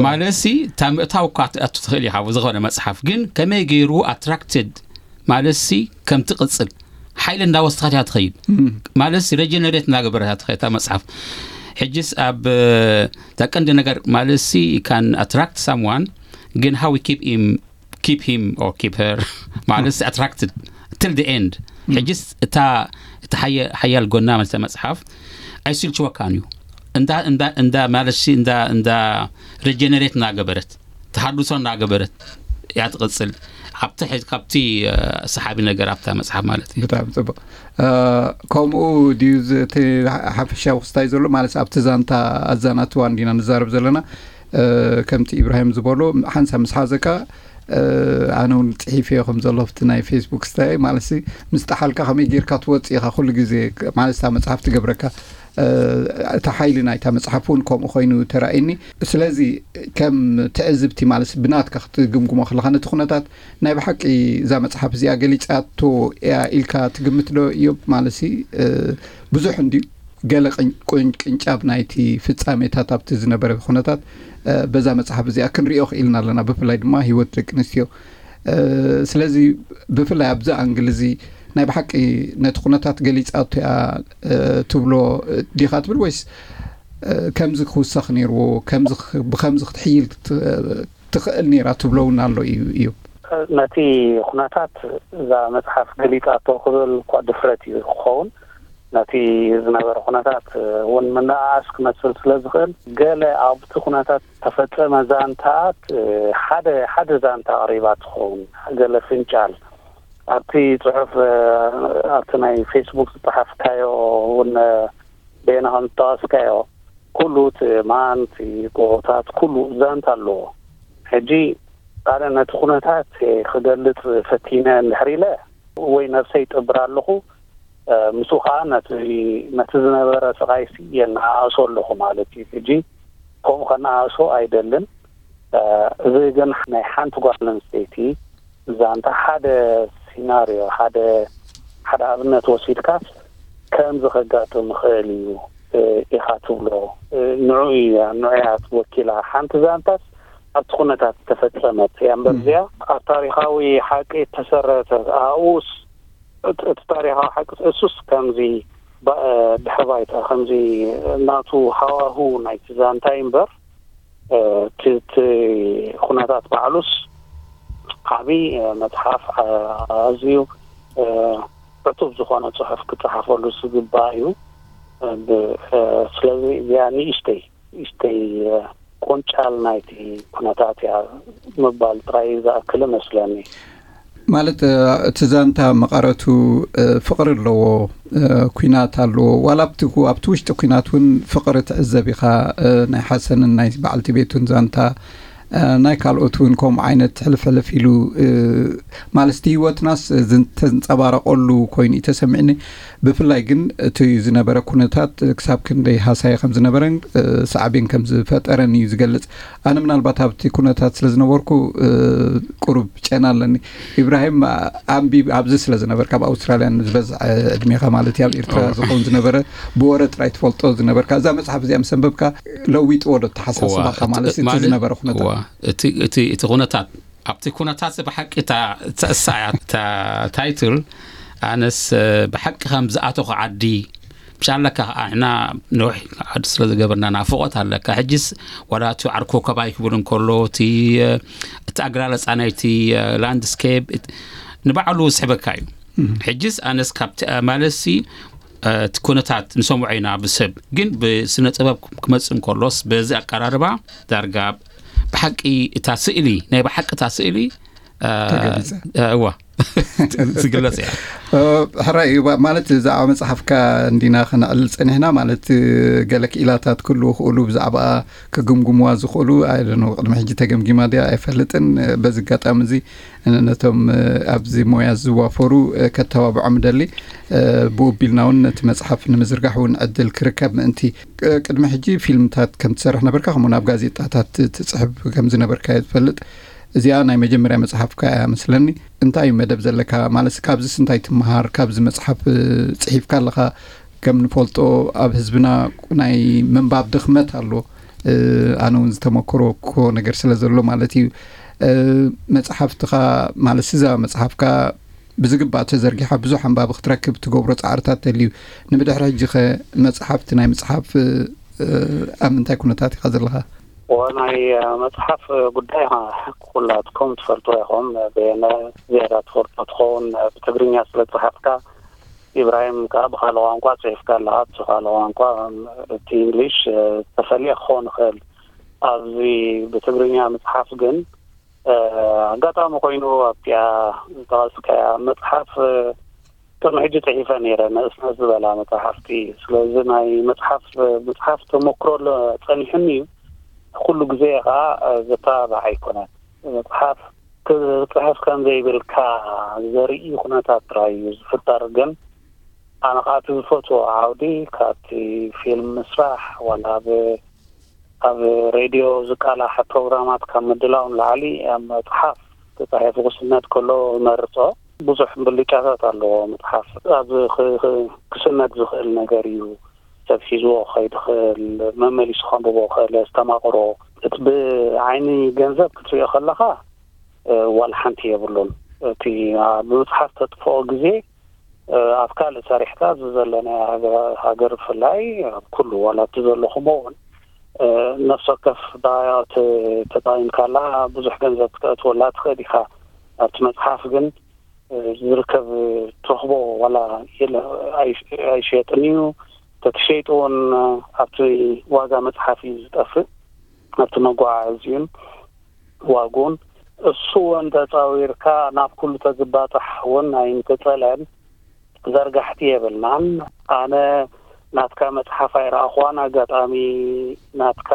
ማለት ሲ እታ ምእታው እኳ ትኣቱ ትኽእል ኢኻ ዝኾነ መፅሓፍ ግን ከመይ ገይሩ ኣትራክትድ ማለት ሲ ከም ትቕፅል ሓይሊ እንዳወስኻት እያ ትኸይድ ማለት ሲ ሬጀነሬት እንዳገበረት እያ ትኸይድ እታ መፅሓፍ። ሕጅስ ኣብ እታ ቀንዲ ነገር ማለት ሲ ካን ኣትራክት ሳምዋን ግን how we keep him keep him or keep her ማለት attracted till the end። ሕጅስ እታ እቲ ሓያል ጎና ማለት መፅሓፍ ኣይስልችወካን እዩ። እንዳ እንዳ እንዳ ማለት ሲ እንዳ እንዳ ሬጀነሬት እናገበረት ተሃድሶ እናገበረት እያ ትቕፅል። ኣብቲ ሕጂ ካብቲ ሰሓቢ ነገር ኣብታ መፅሓፍ ማለት እዩ። ብጣዕሚ ፅቡቅ። ከምኡ ድዩ? እቲ ሓፈሻዊ ክስታይ ዘሎ ማለት ኣብቲ ዛንታ ኣዛናትዋ እንዲና ንዛረብ ዘለና። ከምቲ ኢብራሂም ዝበሎ ሓንሳ ምስ ሓዘካ፣ ኣነ እውን ፅሒፍ እዮ ከም ዘሎ ኣብቲ ናይ ፌስቡክ ስታይ ማለት፣ ምስ ጠሓልካ ከመይ ጌርካ ትወፅ ኢኻ ኩሉ ግዜ ማለት እታ መፅሓፍ ትገብረካ። እቲ ሓይሊ ናይታ መፅሓፍ እውን ከምኡ ኮይኑ ተራእይኒ። ስለዚ ከም ትዕዝብቲ ማለት ብናትካ ክትግምግሞ ከለካ ነቲ ኩነታት ናይ ብሓቂ እዛ መፅሓፍ እዚኣ ገሊፃቶ እያ ኢልካ ትግምት ዶ እዮብ? ማለት ብዙሕ እንድዩ ገለ ቅንጫብ ናይቲ ፍፃሜታት ኣብቲ ዝነበረ ኩነታት በዛ መፅሓፍ እዚኣ ክንሪኦ ክኢልና ኣለና። ብፍላይ ድማ ሂወት ደቂ ኣንስትዮ። ስለዚ ብፍላይ ኣብዚ ኣንግል እዚ ናይ ብሓቂ ነቲ ኩነታት ገሊፃቶ እያ ትብሎ ዲኻ ትብል ወይስ ከምዚ ክውሰኽ ነይርዎ፣ ብከምዚ ክትሕይል ትኽእል ነይራ ትብሎ እውን ኣሎ እዩ እዩ? ነቲ ኩነታት እዛ መፅሓፍ ገሊፃቶ ክብል እኳ ድፍረት እዩ ክኸውን። ነቲ ዝነበረ ኩነታት እውን ምንእኣስ ክመስል ስለ ዝኽእል፣ ገለ ኣብቲ ኩነታት ተፈጸመ ዛንታት ሓደ ሓደ ዛንታ ኣቕሪባ ትኸውን። ገለ ፍንጫል ኣብቲ ጽሑፍ፣ ኣብቲ ናይ ፌስቡክ ዝጸሓፍካዮ እውን በየነ ከም ዝጠቐስካዮ፣ ኩሉ እቲ ማን እቲ ጎቦታት ኩሉ ዛንታ ኣለዎ። ሕጂ ኣነ ነቲ ኩነታት ክገልጽ ፈቲነ እንድሕር ኢለ ወይ ነብሰይ ይጥብር ኣለኹ፣ ምስኡ ከዓ ነቲ ዝነበረ ስቓይሲ የነኣእሶ ኣለኹ ማለት እዩ። ሕጂ ከምኡ ከነኣእሶ ኣይደልን። እዚ ግን ናይ ሓንቲ ጓል ኣንስተይቲ ዛንታ ሓደ ሲናርዮ፣ ሓደ ሓደ ኣብነት ወሲድካስ ከምዚ ከጋጥም ይኽእል እዩ ኢኻ ትብሎ፣ ንዑ እያ፣ ንዑ እያ ወኪላ። ሓንቲ ዛንታስ ኣብቲ ኩነታት ዝተፈጸመት እያ እምበር እዚኣ ኣብ ታሪኻዊ ሓቂ እተሰረተ ኣኡስ እቲ ታሪኻዊ ሓቂ እሱስ ከምዚ ድሕሪ ባይታ ከምዚ ናቱ ሃዋሁ ናይቲ ዛንታይ እምበር እቲ ኩነታት ባዕሉስ ዓብዪ መፅሓፍ ኣዝዩ ዕቱብ ዝኾነ ፅሑፍ ክፀሓፈሉ ዝግባእ እዩ። ስለዚ እዚኣ ንእሽተይ ንእሽተይ ቆንጫል ናይቲ ኩነታት እያ ምባል ጥራይ ዝኣክል እመስለኒ። ማለት እቲ ዛንታ መቐረቱ ፍቕሪ ኣለዎ፣ ኩናት ኣለዎ። ዋላ ኣብቲ ኣብቲ ውሽጢ ኩናት እውን ፍቕሪ ትዕዘብ ኢኻ። ናይ ሓሰንን ናይ በዓልቲ ቤቱን ዛንታ፣ ናይ ካልኦት እውን ከምኡ ዓይነት ሕልፍ ሕልፍ ኢሉ ማለት እቲ ህይወትናስ ተንፀባረቐሉ ኮይኑ እዩ ተሰሚዕኒ። ብፍላይ ግን እቲ ዝነበረ ኩነታት ክሳብ ክንደይ ሃሳይ ከም ዝነበረን ሳዕቤን ከም ዝፈጠረን እዩ ዝገልፅ። ኣነ ምናልባት ኣብቲ ኩነታት ስለ ዝነበርኩ ቁሩብ ጨና ኣለኒ። ኢብራሂም፣ ኣንቢብ ኣብዚ ስለ ዝነበርካ፣ ኣብ ኣውስትራልያ ዝበዝሐ ዕድሜኻ ማለት እዩ ኣብ ኤርትራ ዝኸውን ዝነበረ፣ ብወረ ጥራይ ትፈልጦ ዝነበርካ፣ እዛ መፅሓፍ እዚኣ ምስ ኣንበብካ ለዊጥዎ ዶ ተሓሳስባኻ ማለት እቲ ዝነበረ ኩነታት? እቲ ኩነታት ኣብቲ ኩነታት ብሓቂ እታ ተእሳ እያ እታ ታይትል። ኣነስ ብሓቂ ከም ዝኣተኹ ዓዲ ብሻለካ ከዓ ንሕና ነውሕ ዓዲ ስለ ዝገበርና ናፍቆት ኣለካ። ሕጅስ ዋላ እቲ ዓርኮ ከባይ ክብል እንከሎ እቲ እቲ ኣገላለፃ ናይቲ ላንድስኬፕ ንባዕሉ ዝስሕበካ እዩ። ሕጅስ ኣነስ ካብቲ ማለትሲ እቲ ኩነታት ንሰምዖ ኢና ብሰብ ግን ብስነ ጥበብ ክመፅእ እንከሎስ በዚ ኣቀራርባ ዳርጋ ብሓቂ እታ ስእሊ ናይ ብሓቂ እታ ስእሊ ተገሊጸ። እዋ ዝግለጽ እያ። ሕራይ እዩ ማለት ብዛዕባ መፅሓፍካ እንዲና ክነዕልል ፀኒሕና ማለት ገለ ክኢላታት ክህልዉ ክእሉ ብዛዕባ ክግምግምዋ ዝኽእሉ ኣይደኖ ቅድሚ ሕጂ ተገምጊማ ድያ ኣይፈልጥን። በዚ ኣጋጣሚ እዚ ነቶም ኣብዚ ሞያ ዝዋፈሩ ከተባብዖም ደሊ ብኡ ቢልና እውን ነቲ መፅሓፍ ንምዝርጋሕ እውን ዕድል ክርከብ ምእንቲ ቅድሚ ሕጂ ፊልምታት ከም ትሰርሕ ነበርካ ከምኡ ናብ ጋዜጣታት ትፅሕፍ ከም ዝነበርካ እየ ዝፈልጥ። እዚኣ ናይ መጀመርያ መፅሓፍካ እያ መስለኒ። እንታይ እዩ መደብ ዘለካ ማለት ካብዚስ እንታይ ትመሃር ካብዚ መፅሓፍ ፅሒፍካ ኣለካ? ከም ንፈልጦ ኣብ ህዝብና ናይ ምንባብ ድኽመት ኣሎ። ኣነ እውን ዝተመክሮ ኮ ነገር ስለ ዘሎ ማለት እዩ። መፅሓፍትኻ ማለት እዛ መፅሓፍካ ብዝግባእ ተዘርጊሓ ብዙሕ ኣንባቢ ክትረክብ ትገብሮ ፃዕርታት ተልዩ። ንብድሕሪ ሕጂ ኸ መፅሓፍቲ ናይ ምፅሓፍ ኣብ ምንታይ ኩነታት ኢኻ ዘለኻ? ወናይ መፅሓፍ ጉዳይ ኩላትኩም ትፈልጡ ኢኹም። በየነ ዝያዳ ትፈልጦ ትኸውን ብትግርኛ ስለ ዝፅሓፍካ ኢብራሂም ከዓ ብካልእ ቋንቋ ፅሒፍካ ኣለካ። እቲ ካልእ ቋንቋ እቲ እንግሊሽ ዝተፈለየ ክኸውን ይኽእል። ኣብዚ ብትግርኛ ምፅሓፍ ግን ኣጋጣሚ ኮይኑ ኣብቲኣ ዝጠቐስካያ መፅሓፍ ቅድሚ ሕጂ ፅሒፈ ነይረ፣ ንእስነት ዝበላ መፅሓፍቲ። ስለዚ ናይ መፅሓፍ መፅሓፍ ተመክሮ ኣሎ፣ ፀኒሑኒ እዩ። ኩሉ ግዜ ከዓ ዘተባባዕ ኣይኮነን። መፅሓፍ ክፅሕፍ ከም ዘይብልካ ዘርኢ ኩነታት ጥራይ እዩ ዝፍጠር። ግን ኣነ ከዓ እቲ ዝፈትዎ ዓውዲ ካብቲ ፊልም ምስራሕ ዋላ ኣብ ኣብ ሬድዮ ዝቃላሕ ፕሮግራማት ካብ ምድላው ንላዕሊ ኣብ መፅሓፍ ተፃሒፉ ክስነድ ከሎ እመርፆ። ብዙሕ ብልጫታት ኣለዎ መፅሓፍ። ኣብ ክ- ክ- ክስነድ ዝኽእል ነገር እዩ። ሰብ ሒዝዎ ክኸይድ ይኽእል፣ መመሊሱ ከንብቦ ክኽእል፣ ዝተማቕሮ። እቲ ብዓይኒ ገንዘብ ክትሪኦ ከለኻ ዋላ ሓንቲ የብሉን። እቲ ብመፅሓፍ ተጥፍኦ ግዜ ኣብ ካልእ ሰሪሕካ፣ እዚ ዘሎ ናይ ሃገር ብፍላይ ኣብ ኩሉ ዋላ እቲ ዘለኹሞ እውን ነፍሲ ወከፍ ተጠቒምካላ ብዙሕ ገንዘብ ክተእትወላ ትኽእል ኢኻ። ኣብቲ መፅሓፍ ግን ዝርከብ ትረኽቦ ዋላ ኣይሸየጥን እዩ። ተትሸይጡ እውን ኣብቲ ዋጋ መፅሓፍ እዩ ዝጠፍእ፣ ኣብቲ መጓዓዓዚኡን ዋጉን። እሱ እውን ተፃዊርካ ናብ ኩሉ ተዝባፃሕ እውን ኣይምተፀልአን። ዘርጋሕቲ የብልናን። ኣነ ናትካ መፅሓፍ ኣይረኣኹዋን። ኣጋጣሚ ናትካ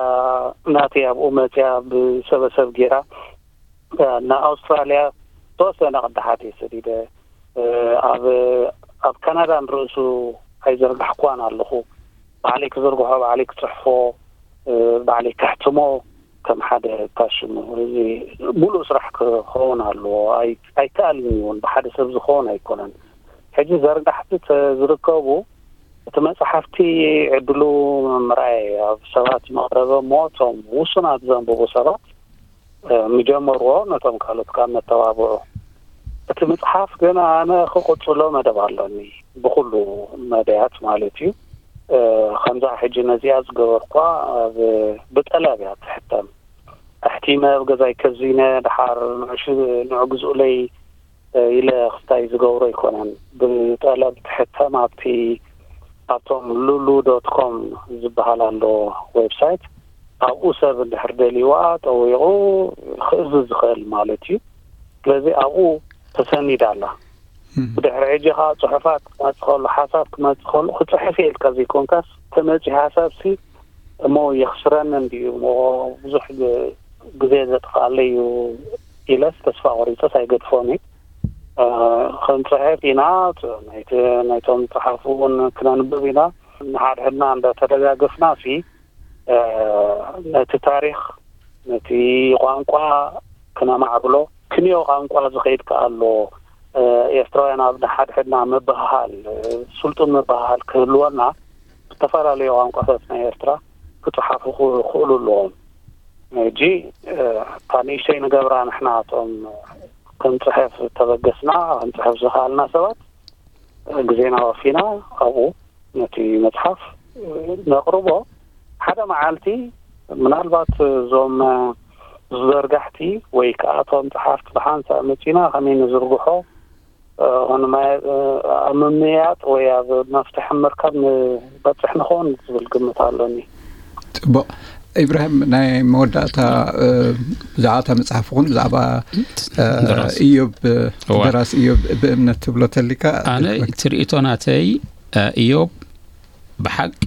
ናተይ ኣብኡ መፅያ ብሰበሰብ ጌራ ንኣውስትራልያ ተወሰነ ቅዳሓት እየ ሰዲደ። ኣብ ኣብ ካናዳ ንርእሱ ኣይዘርጋሕኩዋን ኣለኹ። ባዕለይ ክዝርግሖ፣ ባዕለይ ክፅሕፎ፣ ባዕለይ ከሕትሞ ከም ሓደ ፓሽኑ እዚ ሙሉእ ስራሕ ክኸውን ኣለዎ። ኣይከኣልን እውን፣ ብሓደ ሰብ ዝኸውን ኣይኮነን። ሕጂ ዘርጋሕቲ ዝርከቡ እቲ መፅሓፍቲ ዕድሉ ምርኣይ ኣብ ሰባት መቕረበ እሞ እቶም ውሱናት ዘንብቡ ሰባት ምጀመርዎ ነቶም ካልኦት ካብ መተባብዑ። እቲ ምፅሓፍ ግን ኣነ ክቕፅሎ መደብ ኣሎኒ፣ ብኩሉ መደያት ማለት እዩ። ከምዛ ሕጂ ነዚኣ ዝገበርኳ ብጠለብ እያ ትሕተም። ኣሕቲመ ኣብ ገዛይ ከዚነ ድሓር ንዑ ግዝኡለይ ኢለ ክስታይ ዝገብሮ ኣይኮነን። ብጠለብ ትሕተም ኣብቲ ኣብቶም ሉሉ ዶት ኮም ዝበሃል ኣሎ ዌብሳይት። ኣብኡ ሰብ እንድሕር ደልይዋ ጠዊቑ ክእዝዝ ዝኽእል ማለት እዩ። ስለዚ ኣብኡ ተሰኒዳ ኣላ። ብድሕሪ ሕጂ ከዓ ፅሑፋት ክመፅእ ከሎ፣ ሓሳብ ክመፅእ ከሎ፣ ክፅሕፍ እየ ኢልካ ዘይኮንካስ፣ ተመፅዩ ሓሳብሲ እሞ የኽስረኒ እንድዩ እሞ ብዙሕ ግዜ ዘጥፍኣለይ እዩ ኢለስ ተስፋ ቆሪፀስ ኣይገድፎን እዩ። ክንፅሕፍ ኢና፣ ናይቶም ዝፀሓፉ እውን ክነንብብ ኢና። ንሓድሕድና እንዳተደጋገፍና ሲ ነቲ ታሪኽ፣ ነቲ ቋንቋ ክነማዕብሎ። ክንዮ ቋንቋ ዝኸይድ ከኣ ኣሎ። ኤርትራውያን ኣብ ንሓድሕድና ምብህሃል፣ ስልጡን ምብህሃል ክህልወና፣ ዝተፈላለዩ ቋንቋታት ናይ ኤርትራ ክጽሓፉ ክኽእሉ ኣለዎም። ሕጂ እታ ንእሽተይ ንገብራ ንሕና እቶም ክንጽሕፍ ተበገስና፣ ክንጽሕፍ ዝኸኣልና ሰባት ግዜና ወፊና ኣብኡ ነቲ መጽሓፍ ነቕርቦ። ሓደ መዓልቲ ምናልባት እዞም ዝዘርጋሕቲ ወይ ከኣ እቶም ጸሓፍቲ ብሓንሳእ መጺና ከመይ ንዝርግሖ ኣብ ምምያጥ ወይ ኣብ መፍትሒ ምርካብ ንበጽሕ ንኸውን ዝብል ግምት ኣሎኒ። ጽቡቕ። ኢብራሂም፣ ናይ መወዳእታ ብዛዕባ እታ መጽሓፍ ኹን ብዛዕባ ኢዮብ፣ ደራሲ ኢዮብ ብእምነት ትብሎ ተሊካ? ኣነ ትርኢቶ ናተይ፣ ኢዮብ ብሓቂ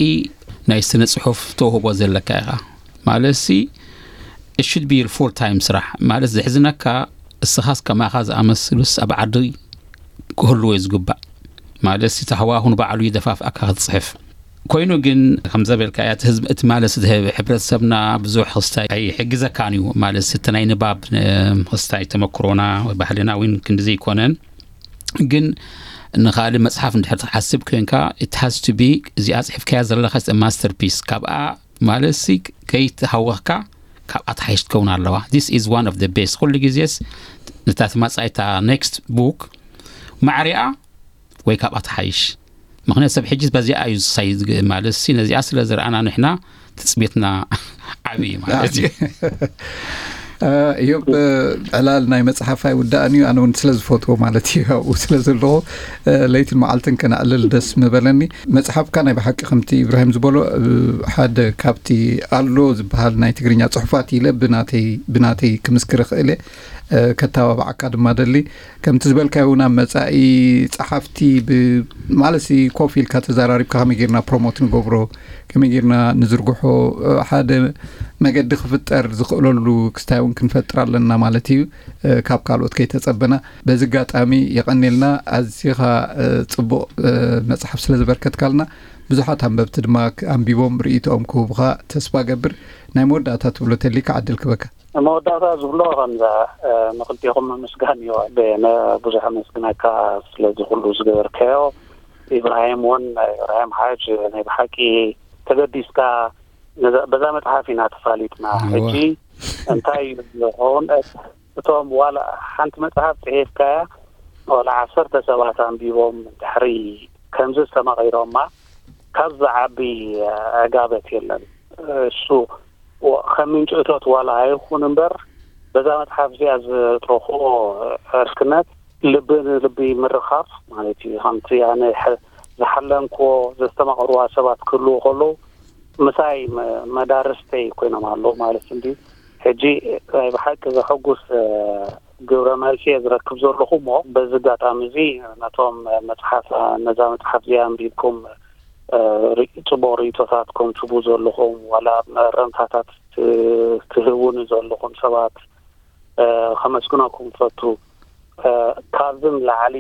ናይ ስነ ጽሑፍ ተውህቦ ዘለካ ኢኻ። ማለት ሲ it should be your full time ስራሕ። ማለት ዘሕዝነካ እስኻስ ከማኻ ዝኣመስሉስ ኣብ ዓዲ ክህልዎ እዩ ዝግባእ። ማለት እቲ ሃዋሁ ንባዕሉ ይደፋፍኣካ ክትጽሕፍ። ኮይኑ ግን ከም ዘበልካ እያ፣ እቲ ህዝቢ፣ እቲ ማለት እቲ ህብ-፣ ሕብረተሰብና ብዙሕ ክስታይ ኣይሕግዘካን እዩ። ማለት እቲ ናይ ንባብ፣ እ፣ ክስታይ ተመክሮና ወይ ባህልና እውን ክንዲ ዘይኮነን። ግን ንኻልእ መጽሓፍ እንድሕር ትሓስብ ኮንካ፣ it has to be፣ እዚኣ ጽሒፍካያ ዘለኻ is a masterpiece። ካብኣ ማለት ሲ ከይተሃወኽካ ካብኣ ተሓይሽ ትከውን ኣለዋ። This is one of the best። ኩሉ ግዜስ ነታ ትመጻኢታ next book ማዕሪኣ ወይ ካብኣ ተሓይሽ። ምኽንያቱ ሰብ ሕጂ በዚኣ እዩ ዝሳይ ዝግ-፣ ማለት ሲ ነዚኣ ስለ ዝረኣና ንሕና ትጽቢትና ዓቢ እዩ ማለት እዩ። እዮብ፣ ዕላል ናይ መጽሓፍ ኣይውዳእን እዩ። ኣነ እውን ስለ ዝፈትዎ ማለት እዩ፣ ኣብኡ ስለ ዘለኹ ለይትን መዓልትን ከነዕልል ደስ ምበለኒ። መጽሓፍካ ናይ ብሓቂ ከምቲ ኢብራሂም ዝበሎ ሓደ ካብቲ ኣሎ ዝበሃል ናይ ትግርኛ ጽሑፋት ኢለ ብናተይ ብናተይ ክምስክር እኽእል እየ። ከተባባዓካ ድማ ደሊ። ከምቲ ዝበልካዮ እውን ኣብ መጻኢ ጸሓፍቲ ማለት ኮፍ ኢልካ ተዘራሪብካ ከመይ ጌርና ፕሮሞት ንገብሮ፣ ከመይ ጌርና ንዝርግሖ፣ ሓደ መገዲ ክፍጠር ዝኽእለሉ ክስታይ እውን ክንፈጥር ኣለና ማለት እዩ። ካብ ካልኦት ከይተጸበና። በዚ ኣጋጣሚ የቐኔልና። ኣዚኻ ጽቡቕ መጽሓፍ ስለ ዘበርከትካልና፣ ብዙሓት ኣንበብቲ ድማ ኣንቢቦም ርእይቶኦም ክህቡኻ ተስፋ ገብር። ናይ መወዳእታ ትብሎ ተሊካ ዕድል ክበካ። መወዳእታ ዝብሎ ከምዛ፣ ንክልቴኹም ምምስጋን እዩ። ብዙሕ ኣመስግነካ ስለዚ ኩሉ ዝገበርካዮ። ኢብራሂም እውን፣ ኢብራሂም ሓጅ፣ ናይ ብሓቂ ተገዲስካ በዛ መጽሓፍ ኢና ተፋሊጥና። ሕጂ እንታይ እዩ ዝኸውን? እቶም ዋላ ሓንቲ መጽሓፍ ጽሒፍካያ ዋላ ዓሰርተ ሰባት ኣንቢቦም ድሕሪ ከምዚ ዝተማቒሮማ ካብ ዝዓቢ ዕጋበት የለን። እሱ ከም ምንጪ እቶት ዋላ ኣይኹን እምበር በዛ መጽሓፍ እዚኣ ዝረኽቦ ዕርክነት ልቢ ንልቢ ምርኻብ ማለት እዩ። ከምቲ ኣነ ዝሓለምክዎ ዘስተማቐርዋ ሰባት ክህልዉ ከለዉ ምሳይ መዳርስተይ ኮይኖም ኣለዉ ማለት እንዲ። ሕጂ ናይ ብሓቂ ዘሐጉስ ግብረ መልሲ እየ ዝረክብ ዘለኹ። እሞ በዚ ኣጋጣሚ እዚ ነቶም መፅሓፍ ነዛ መፅሓፍ እዚኣ ኣንቢብኩም ፅቡቕ ርእቶታት ኮምትቡ ዘለኹም ዋላ መረምታታት ትህቡኒ ዘለኹም ሰባት ከመስግነኩም ፈቱ። ካብዚ ንላዕሊ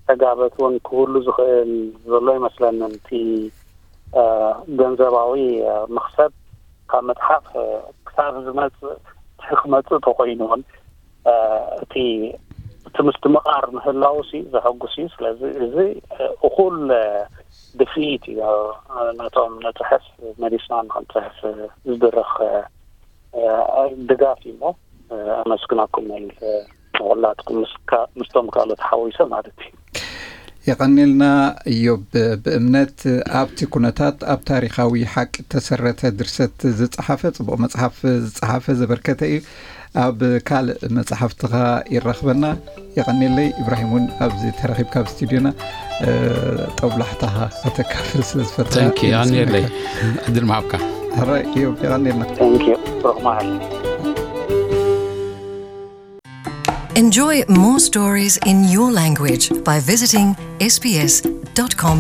ተጋበት እውን ክህሉ ዝኽእል ዘሎ ይመስለንን። እቲ ገንዘባዊ መኽሰብ ካብ መፅሓፍ ክሳብ ዝመፅእ ክመፅእ ተኮይኑ እውን እቲ እቲ ምስትምቓር ምህላው ሲ ዘሐጉስ እዩ። ስለዚ እዚ እኹል ድፍኢት እዩ። ነቶም ነፅሕፍ መሊስና ንክንፅሕፍ ዝድረኽ ድጋፍ እዩ። እሞ ኣመስግናኩም መሊሰ ንኩላትኩም ምስቶም ካልኦት ሓዊሰ ማለት እዩ። የቐኔልና እዮብ። ብእምነት ኣብቲ ኩነታት ኣብ ታሪኻዊ ሓቂ ተሰረተ ድርሰት ዝጸሓፈ ጽቡቕ መጽሓፍ ዝጸሓፈ ዘበርከተ እዩ። ኣብ ካልእ መጽሓፍትኻ ይራኽበና። የቐኔለይ። ኢብራሂም እውን ኣብዚ ተረኺብካ ኣብ ስቱዲዮና ጠብላሕታኻ ከተካፍል ስለ ዝፈትካ ተንኪ የቐኔለይ። ዕድል ምሃብካ። ሕራይ እዮብ፣ የቐኔልና። Thank you. ብሩኽ መዓልቲ። Enjoy more stories in your language by visiting sbs.com.au.